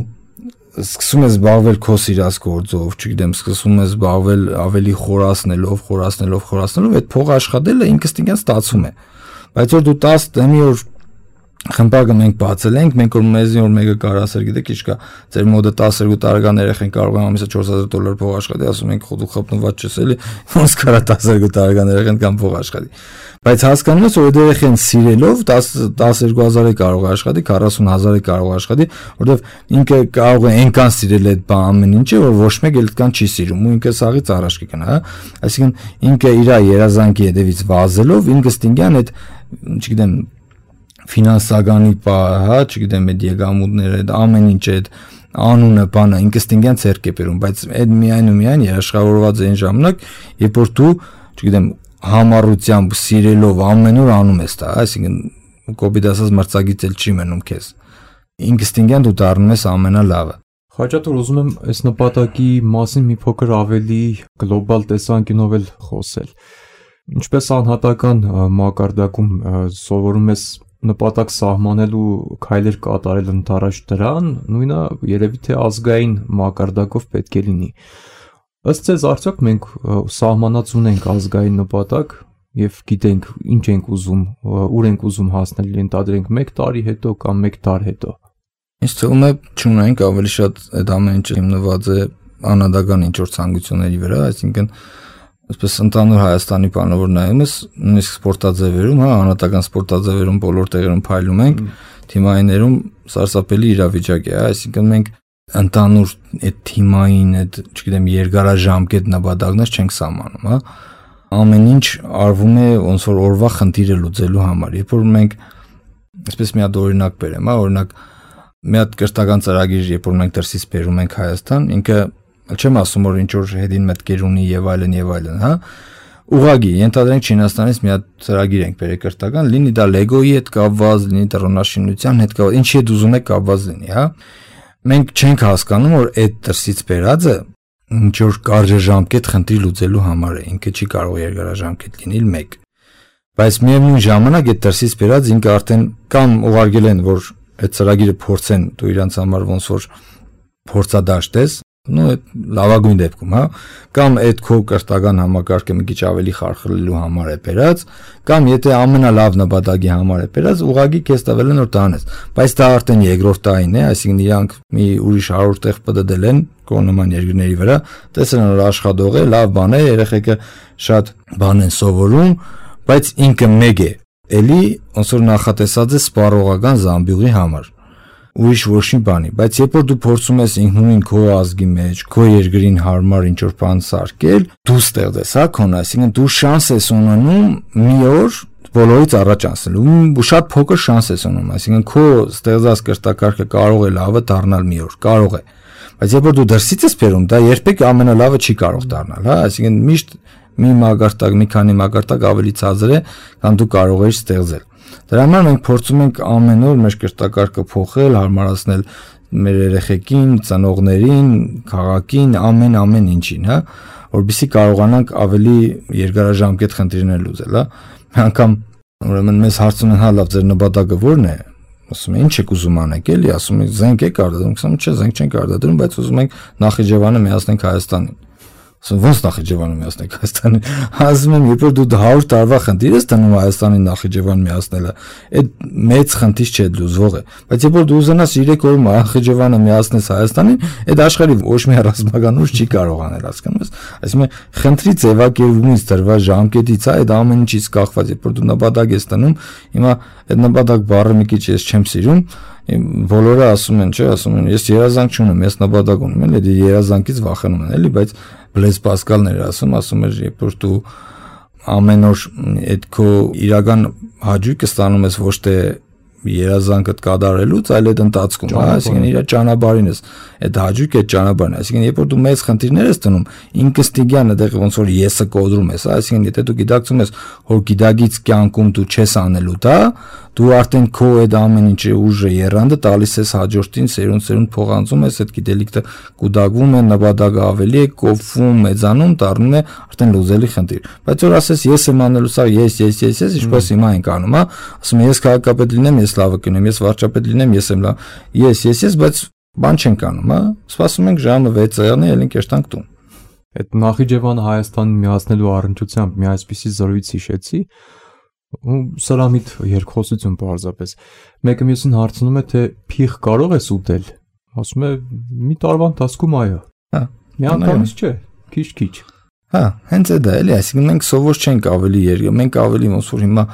սկսում ես զբաղվել քո սիրած գործով, չգիտեմ, սկսում ես զբաղվել ավելի խորացնելով, խորացնելով, խորացնելով, այդ փող աշխատելը ինքնստինքյան ստացվում է։ Բայց որ դու տասը մի օր խմբակը մենք բացել ենք, մենք որ մեզի որ մեկը կարող ասել, գիտեք ինչ կա, ձեր մոդը տասներկու տարեկան երեխան կարող է ամիսը չորս հազար դոլար փող աշխատի, ասում ենք խոդու խփնված չես էլի, ոնց կարա տասներկու տարեկան երեխան կամ փող աշխատի։ Բայց հասկանում ես, որ այդ երեխան սիրելով տասներկու հազարի կարող է աշխատի, քառասուն հազարի կարող է աշխատի, որովհետև ինքը կարող է այնքան սիրել այդ բան ամեն ինչը, որ ոչ մեկ էլ այդքան չի սիրում, ու ինքը սաղից առաջ կգնա, հա։ Այսինքն ինքը իր երազանքի հետևից վազելով, ինքը ստինգյան այդ, չգիտեմ, ֆինանսականի պա, հա, չգիտեմ, այդ եկամուտները, այդ ամեն ինչ այդ անունը, բանը ինքստինգյան ցերկ է բերում, բայց այդ միայն ու միայն երաշխավորված է այն ժամանակ, երբ որ դու, չգիտեմ, համառությամբ սիրելով ամեն օր անում ես դա, այսինքն կոպիտ ասած մրցակից էլ չի մնում քեզ։ Ինքստինգյան դու դառնում ես ամենալավը։ Խաչատուր, ուզում եմ այս նպատակի մասին մի փոքր ավելի գլոբալ տեսանկյունով էլ խոսել։ Ինչպես անհատական մակարդակում սովորում ես նպատակ սահմանելու քայլեր կատարել ընդառաջ դրան, նույնը երևի թե ազգային մակարդակով պետք է լինի։ Ըստ ձեզ արդյոք մենք սահմանած ունենք ազգային նպատակ եւ գիտենք ինչ ենք ուզում, ուր ենք ուզում հասնել, ենթադրենք մեկ տարի հետո կամ մեկ դար հետո։ Ինձ թվում է չունենք, ավելի շատ այդ ամեն ինչը հիմնված է անհատական ինչ-որ ցանկությունների վրա, այսինքն Այսպես ընդհանուր Հայաստանի բանավոր նայում ես, նույնիսկ սպորտաձևերում, հա, անհատական սպորտաձևերում բոլոր տեղերում փայլում ենք, թիմայիներում սարսափելի իրավիճակ է, այսինքն մենք ընդանուր այդ թիմային, այդ, չգիտեմ, երկարաժամկետ նպատակներ չենք սահմանում, հա։ Ամեն ինչ արվում է ոնց որ օրվա խնդիրը լուծելու համար։ Երբ որ մենք այսպես մի հատ օրինակ բերեմ, հա, օրինակ մի հատ կրթական ծրագիր, երբ որ մենք դրսից բերում ենք Հայաստան, ինքը չեմ ասում որ ինչ որ հետին մտքեր ունի եւ այլն եւ այլն, հա։ Ուղղակի ենթադրենք Չինաստանից մի հատ ծրագիր ենք բերել կրթական, լինի դա Lego-ի հետ կապված, լինի տրոնաշինության հետ կապված, ինչի հետ ուզում եք կապված լինի, հա։ Մենք չենք հասկանում, որ այդ դրսից բերածը ինչ որ կարճաժամկետ խնդիր լուծելու համար է, ինքը չի կարող երկարաժամկետ լինել մեկ։ Բայց միևնույն ժամանակ այդ դրսից բերած ինքը արդեն կամ ուղարկել են, որ այդ ծրագիրը փորձեն, դու իրանց համար ոնց որ փորձադաշտ ես, նո այդ լավագույն դեպքում, հա, կամ այդ քո կրթական համակարգը մի քիչ ավելի խարխլելու համար է բերած, կամ եթե ամենալավ նպատակի համար է բերած, ուղղակի քեզ տվել են որ տանես, բայց դա արդեն երկրորդ տարին է, այսինքն իրանք մի ուրիշ հարյուր տեղ պտտել են կողմնման երկրների վրա, տեսել են որ աշխատող է, լավ բան է, երեխեքը շատ բան են սովորում, բայց ինքը մեկ է, էլի ոնց որ նախատեսած է սպառողական զամբյուղի համար։ Ուրիշ ոչ մի բանի, բայց երբ որ դու փորձում ես ինքնուրույն քո ազգի մեջ, քո երկրին հարմար ինչ որ բան սարքել, դու ստեղծես, հա, քոնը, այսինքն դու շանս ես ունենում մի օր բոլորից առաջ անցնելու, ու շատ փոքր շանս ես ունենում, այսինքն քո ստեղծած կրթակարգը կարող է լավը դառնալ մի օր, կարող է, բայց երբ որ դու դրսից ես բերում, դա երբեք ամենալավը չի կարող դառնալ, հա, այսինքն միշտ մի մագարտակ, մի քանի մագարտակ ավելի ցածր է, քան դու կարող ես ստեղծել։ Դրա համար մենք փորձում ենք ամեն օր մեր կրթակարգը փոխել, հարմարացնել մեր երեխեքին, ծնողներին, քաղաքին, ամեն ամեն ինչին, հա, որովհետեւ կարողանանք ավելի երկարաժամկետ խնդիրներ լուծել, հա։ Անկամ ուրեմն մեզ հարցում են, հա, լավ, ձեր նպատակը ո՞րն է։ Ասում են, ինչ եք ուզում անեք, էլի, ասում են, զենք եք արտադրում, ասում չէ, զենք չենք արտադրում, բայց ուզում ենք Նախիջևանը միացնենք Հայաստանին։ Ոնց Նախիջևանը միացնենք Հայաստանին, ասում եմ, երբ որ դու հարյուր տարվա խնդիր ես տնում Հայաստանին Նախիջևան միացնելը, այդ մեծ խնդիր չէ լուծվող է, բայց երբ որ դու ուզենաս երեք օրում Նախիջևանը միացնես Հայաստանին, այդ աշխարհի ոչ մի ռազմական ուժ չի կարող անել, հասկանում ես, այսինքն խնդրի ձևակերպումից դրված ժամկետից է այդ ամեն ինչից կախված, երբ որ դու նպատակ ես տնում, հիմա այդ նպատակ բառը մի քիչ ես չեմ սիրում, բոլորը ասում են, չէ, ասում են, ես երազանք չունեմ, ես նպատակ ունեմ, էլի երազանքից վախենում են, էլի, բայց Բլեզ Պասկալն էր ասում, ասում էր, երբ որ դու ամեն օր այդ քո իրական հաճույքը ստանում ես ոչ թե երազանքդ կատարելուց, այլ այդ ընթացքում, հա, այսինքն իր ճանապարհին ես, այդ հաճույքը այդ ճանապարհն է, այսինքն երբ որ դու մեծ խնդիրներ ես տնում, ինքստիգյան այդտեղ ոնց որ եսը կոդրում ես, հա, այսինքն եթե դու գիտակցում ես, որ գիտագից կյանքում դու չես անելու դա, դու արդեն քո այդ ամեն ինչի ուժը երանդը տալիս ես հաջորդին, սերունդ-սերունդ փոխանցում ես, այդ գիտելիքը կուտակվում է, նպատակը ավելի է, կոփվում, մեծանում, դառնում է արդեն լուծելի խնդիր։ Բայց որ ասես ես եմ անելու սա, ես, ես, ես, ես, ինչպես հիմա ենք անում, հա, ասում ես քաղաքապետ լինեմ, ես լավը կնեմ, ես վարչապետ լինեմ, ես եմ լավ, ես, ես, ես, բայց բան չենք անում, հա, սպասում ենք ժամը վեցը եղնի, ելին կերտանք տուն։ Այդ Նախիջևանը Հայաստանին միացնելու առնչությամբ մի այսպիսի զրույց հիշեցի, ու սրամիտ երկխոսություն պարզապես։ Մեկը մյուսին հարցնում է, թե փիղ կարող ես ուտել։ Ասում է, մի տարվա ընթացքում այո։ Հա, մի անգամից չէ, քիչ-քիչ։ Հա, հենց այդ է, էլի, այսինքն մենք սովոր չենք ավելի երգ, մենք ավելի ոնց որ հիմա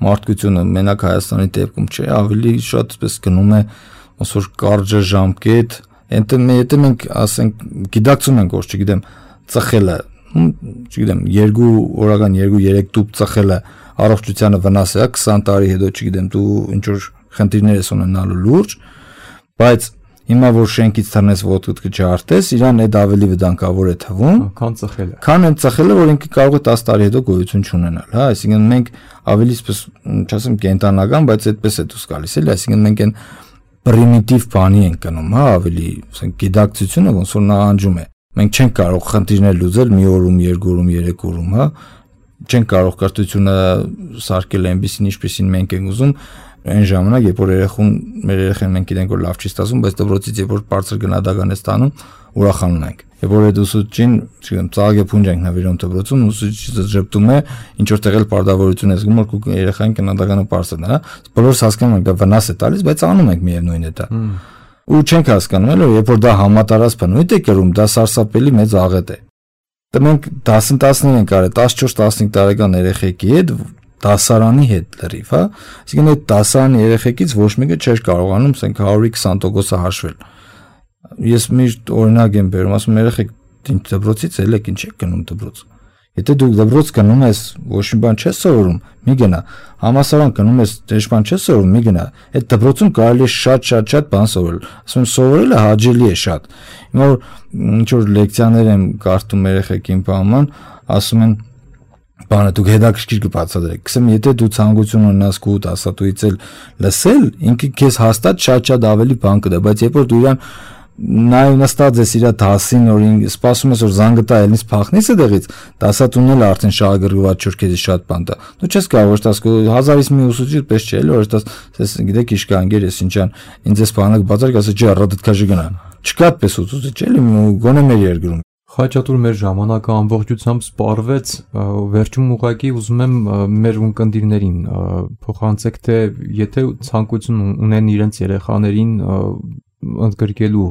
մարդկությունը մենակ Հայաստանի դեպքում չէ, ավելի շատ այսպես գնում է ոնց որ կարճաժամկետ, եթե մենք ասենք գիտակցում ենք, որ չգիտեմ, ծխելը, չգիտեմ, երկու օրական երկու երեք տուփ ծխելը առողջությանը վնաս է, քսան տարի հետո, չգիտեմ, դու ինչ որ խնդիրներ ես ունենալու լուրջ, բայց հիմա որ շենքից թռնես ոտքդ կջարդես, իրան այդ ավելի վտանգավոր է թվում, քան ծխելը։ Քան այն ծխելը, որ ինքը կարող է տասը տարի հետո գոյություն չունենալ, հա, այսինքն մենք ավելի այսպես, չասեմ կենտանական, բայց այդպես է դուրս գալիս, էլի, այսինքն մենք այն պրիմիտիվ բանի ենք գնում, հա, ավելի, ասենք գիտակցությունը ոնց որ նահանջում է։ Մենք չենք կարող խնդիրներ լուծել մի օրում, երկու օրում, երեք օրում, հա, չենք կարող կրթությունը սարքել այնպեսին, ինչպեսին մենք ենք ուզում, այն ժամանակ, երբ որ երեխուն, մեր երեխան մենք գիտենք, որ լավ չի ստացվում, բայց դպրոցից երբ որ բարձր գնահատական է ստանում, ուրախանում ենք։ Երբ որ այդ ուսուցչին, չգիտեմ, ծաղկե փունջ ենք նվիրում դպրոցում, ուսուցիչը ժպտում է, ինչ որ տեղել պարտավորություն է զգում, որ երեխային գնահատականը բարձրն է, հա։ Բոլորս հասկանում ենք, դա վնաս է տալիս, բայց անում ենք միևնույն է դա։ Ու չենք հասկանում, էլ երբ որ դա համատարած բնույթ է կրում, դա սարսափելի մեծ աղետ է։ Դա մենք դասընթացներ ենք արել տասնչորս տասնհինգ տարեկան երեխեքի հետ, դասարանի հետ լրիվ, հա։ Այսինքն այդ դասարանի երեխեքից ոչ մեկը չէր կարողանում, ասենք հարյուրի քսան տոկոսը հաշվել։ Ես միշտ օրինակ եմ բերում, ասում երեխեք ինչ դպրոցից ելեք, ինչ եք գնում դպրոց։ Եթե դու դպրոց գնում ես, ոչ մի բան չես սովորում, մի գնա։ Համալսարան գնում ես, ոչ մի բան չես սովորում, մի գնա։ Այդ դպրոցում կարելի է շատ-շատ-շատ բան սովորել։ Ասում եմ, սովորելը հաճելի է շատ։ Հիմա որ ինչ որ լեկցիաներ եմ կարդում երեխեքին բանման, ասում են բանը դուք հետաքրքիր կբացատրեք։ Գսեմ, եթե դու ցանկություն ունենաս քո դասատուից էլ լսել, ինքը քեզ հաստատ շատ-շատ ավելի բան կտա, բայց երբ որ դու իրան նայ նստած ես իր դասին, օրին սպասում ես որ զանգը տա ելնից փախնես այդտեղից, դասատունն էլ արդեն շահագրգռված չոր քեզի շատ բան տա։ Դու չես կարող որ տաս հազարից մի ուսուցիչ պես չէ, էլի որ տաս, ես գիտեք իշկանգեր ես ինչան, ինձ էս բանը բացարկ ասա չի առադդքաժի գնա։ Չկա պես ուսուցիչ, էլի գոնե մեր երկրում։ Խաչատուր մեր ժամանակը ամբողջությամբ սպառվեց, վերջում ուղղակի ուզում եմ մեր ունկնդիրներին փոխանցեք, թե եթե ցանկություն ունեն իրենց երեխաներին ընդգրկելու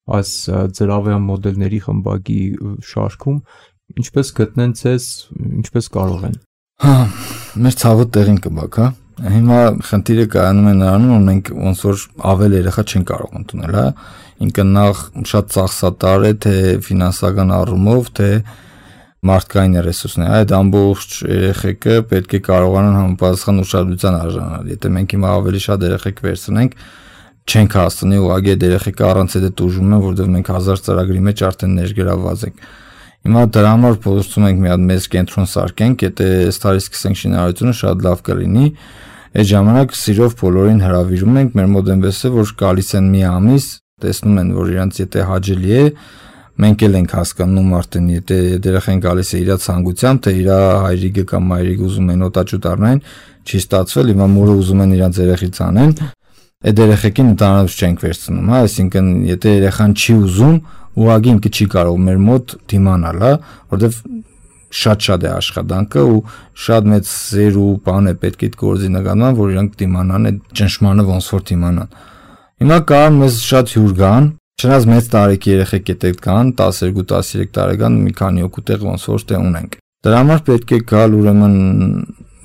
այս ծրավյան մոդելների խմբակի շարքում, ինչպես գտնեն ցես, ինչպես կարող են։ Հա, մեր ցավը տեղին կբաք, հա։ Հիմա խնդիրը կայանում է նրանում, որ մենք ոնց որ ավել երեխա չեն կարող ընդունել, հա։ Ինքը նախ շատ ծախսատար է, թե ֆինանսական առումով, թե մարդկային ռեսուրսներ։ Այդ ամբողջ երեխեքը պետք է կարողանան համապատասխան ուշադրության արժանանալ։ Եթե մենք հիմա ավելի շատ երեխեք վերցնենք, չենք հասցնի ուղղակի այդ երեխեքը առանց այդ տուժում են, որովհետև մենք հազար ծրագրի մեջ արդեն ներգրավված ենք։ Հիմա դրա համար փորձում ենք մի հատ մեծ կենտրոն սարքենք, եթե այս տարի սկսենք շինարարությունը շատ լավ կլինի։ Այդ ժամանակ սիրով բոլորին հրավիրում ենք, մեր մոտ այնպես է, որ գալիս են մի ամիս, տեսնում են, որ իրանց եթե հաճելի է, մենք էլ ենք հասկանում արդեն, եթե երեխան գալիս է իր ցանկությամբ, թե իր հայրիկը կամ մայրիկը ուզում են օտաճուտ առնեն, չի ստացվել, հիմա մուրը ուզում են իրանց երեխից անեն, այդ երեխեքին ընդհանրապես չենք վերցնում, հա, այսինքն եթե երեխան չի ուզում, ուղղակի ինքը չի կարող մեր մոտ դիմանալ, հա, որովհետև շատ-շատ է աշխատանքը ու շատ մեծ սեր ու բան է պետք է գործի նկատմամբ, որ իրանք դիմանան այդ ճնշմանը ոնց որ դիմանան։ Հիմա կա մեզ շատ հյուր կան, չնայած մեծ տարեկի երեխեք էդ կան, տասներկու տասներեք տարեկան մի քանի հոգու տեղ ոնց որ տեղ ունենք։ Դրա համար պետք է գալ ուրեմն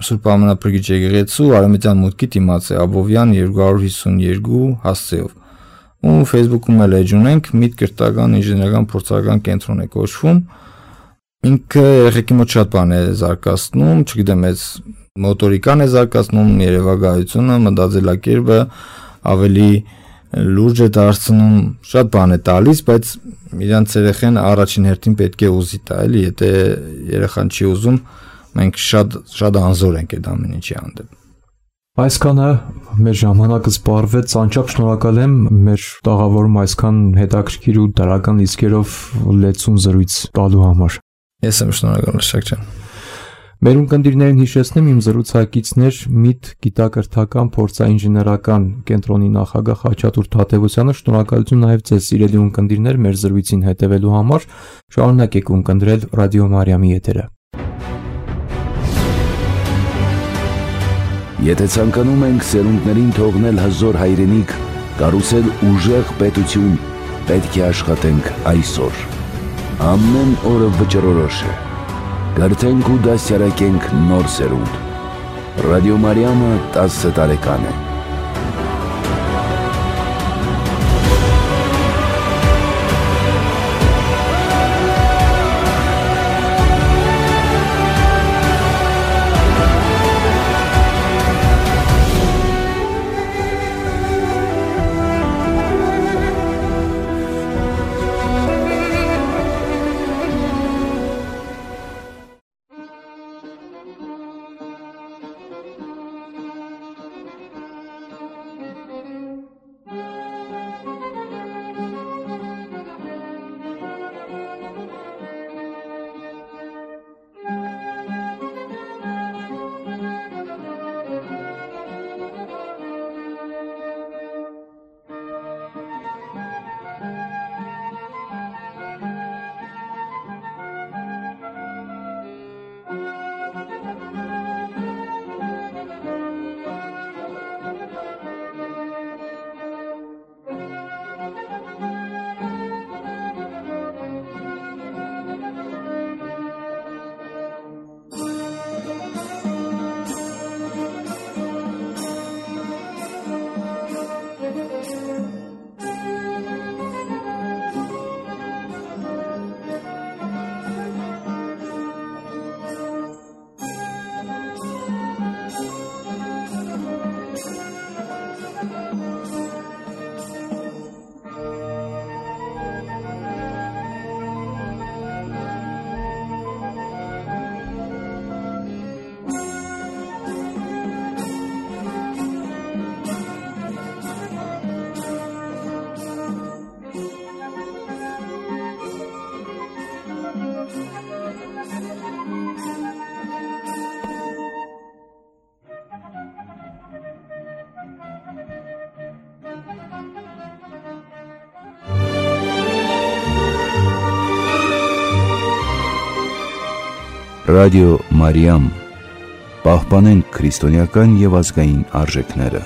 Սուրբ Ամենափրկիչ եկեղեցու Արամեդյան մուտքի դիմաց է Աբովյան երկու հարյուր հիսունյոթ հասցեով։ Ու Facebook-ում էլ էջ ունենք, Միտ կրթական ինժեներական փորձարարական կենտրոն է կոչվում։ Ինքը երեխեքի մոտ շատ բան է զարգացնում, չգիտեմ, այս մոտորիկան է զարգացնում, երևակայությունը, մտածելակերպը ավելի լուրջ է դարձնում, շատ բան է տալիս, բայց իրանց երեխան առաջին հերթին պետք է ուզի տա, էլի, եթե երեխան չի ուզում, մենք շատ շատ անզոր ենք այդ ամեն ինչի հանդեպ։ Այսքանը մեր ժամանակը սպառվեց, անչափ շնորհակալ եմ մեր տաղավարում այսքան հետաքրքիր ու դրական իսկերով լեցուն զրույց տալու համար։ Ես եմ շնորհակալ, Շակ ջան։ Մեր ունկնդիրներին հիշեցնեմ իմ զրուցակիցներ Միտ գիտակրթական փորձաինժեներական կենտրոնի նախագահ Խաչատուր Թադևոսյանը, շնորհակալություն նաև ձեզ սիրելի ունկնդիրներ մեր զրույցին հետևելու համար, շարունակեք ունկնդրել Ռադիո Մարիամի եթերը։ Եթե ցանկանում ենք սերունդներին թողնել հզոր հայրենիք, կառուցել ուժեղ պետություն, պետք է աշխատենք այսօր։ Ամեն օրը վճռորոշ է։ Կրթենք ու դասյարակենք նոր սերունդ։ Ռադիո Մարիամը տասը տարեկան է։ Ռադիո Մարիամ, պահպանենք քրիստոնեական եւ ազգային արժեքները։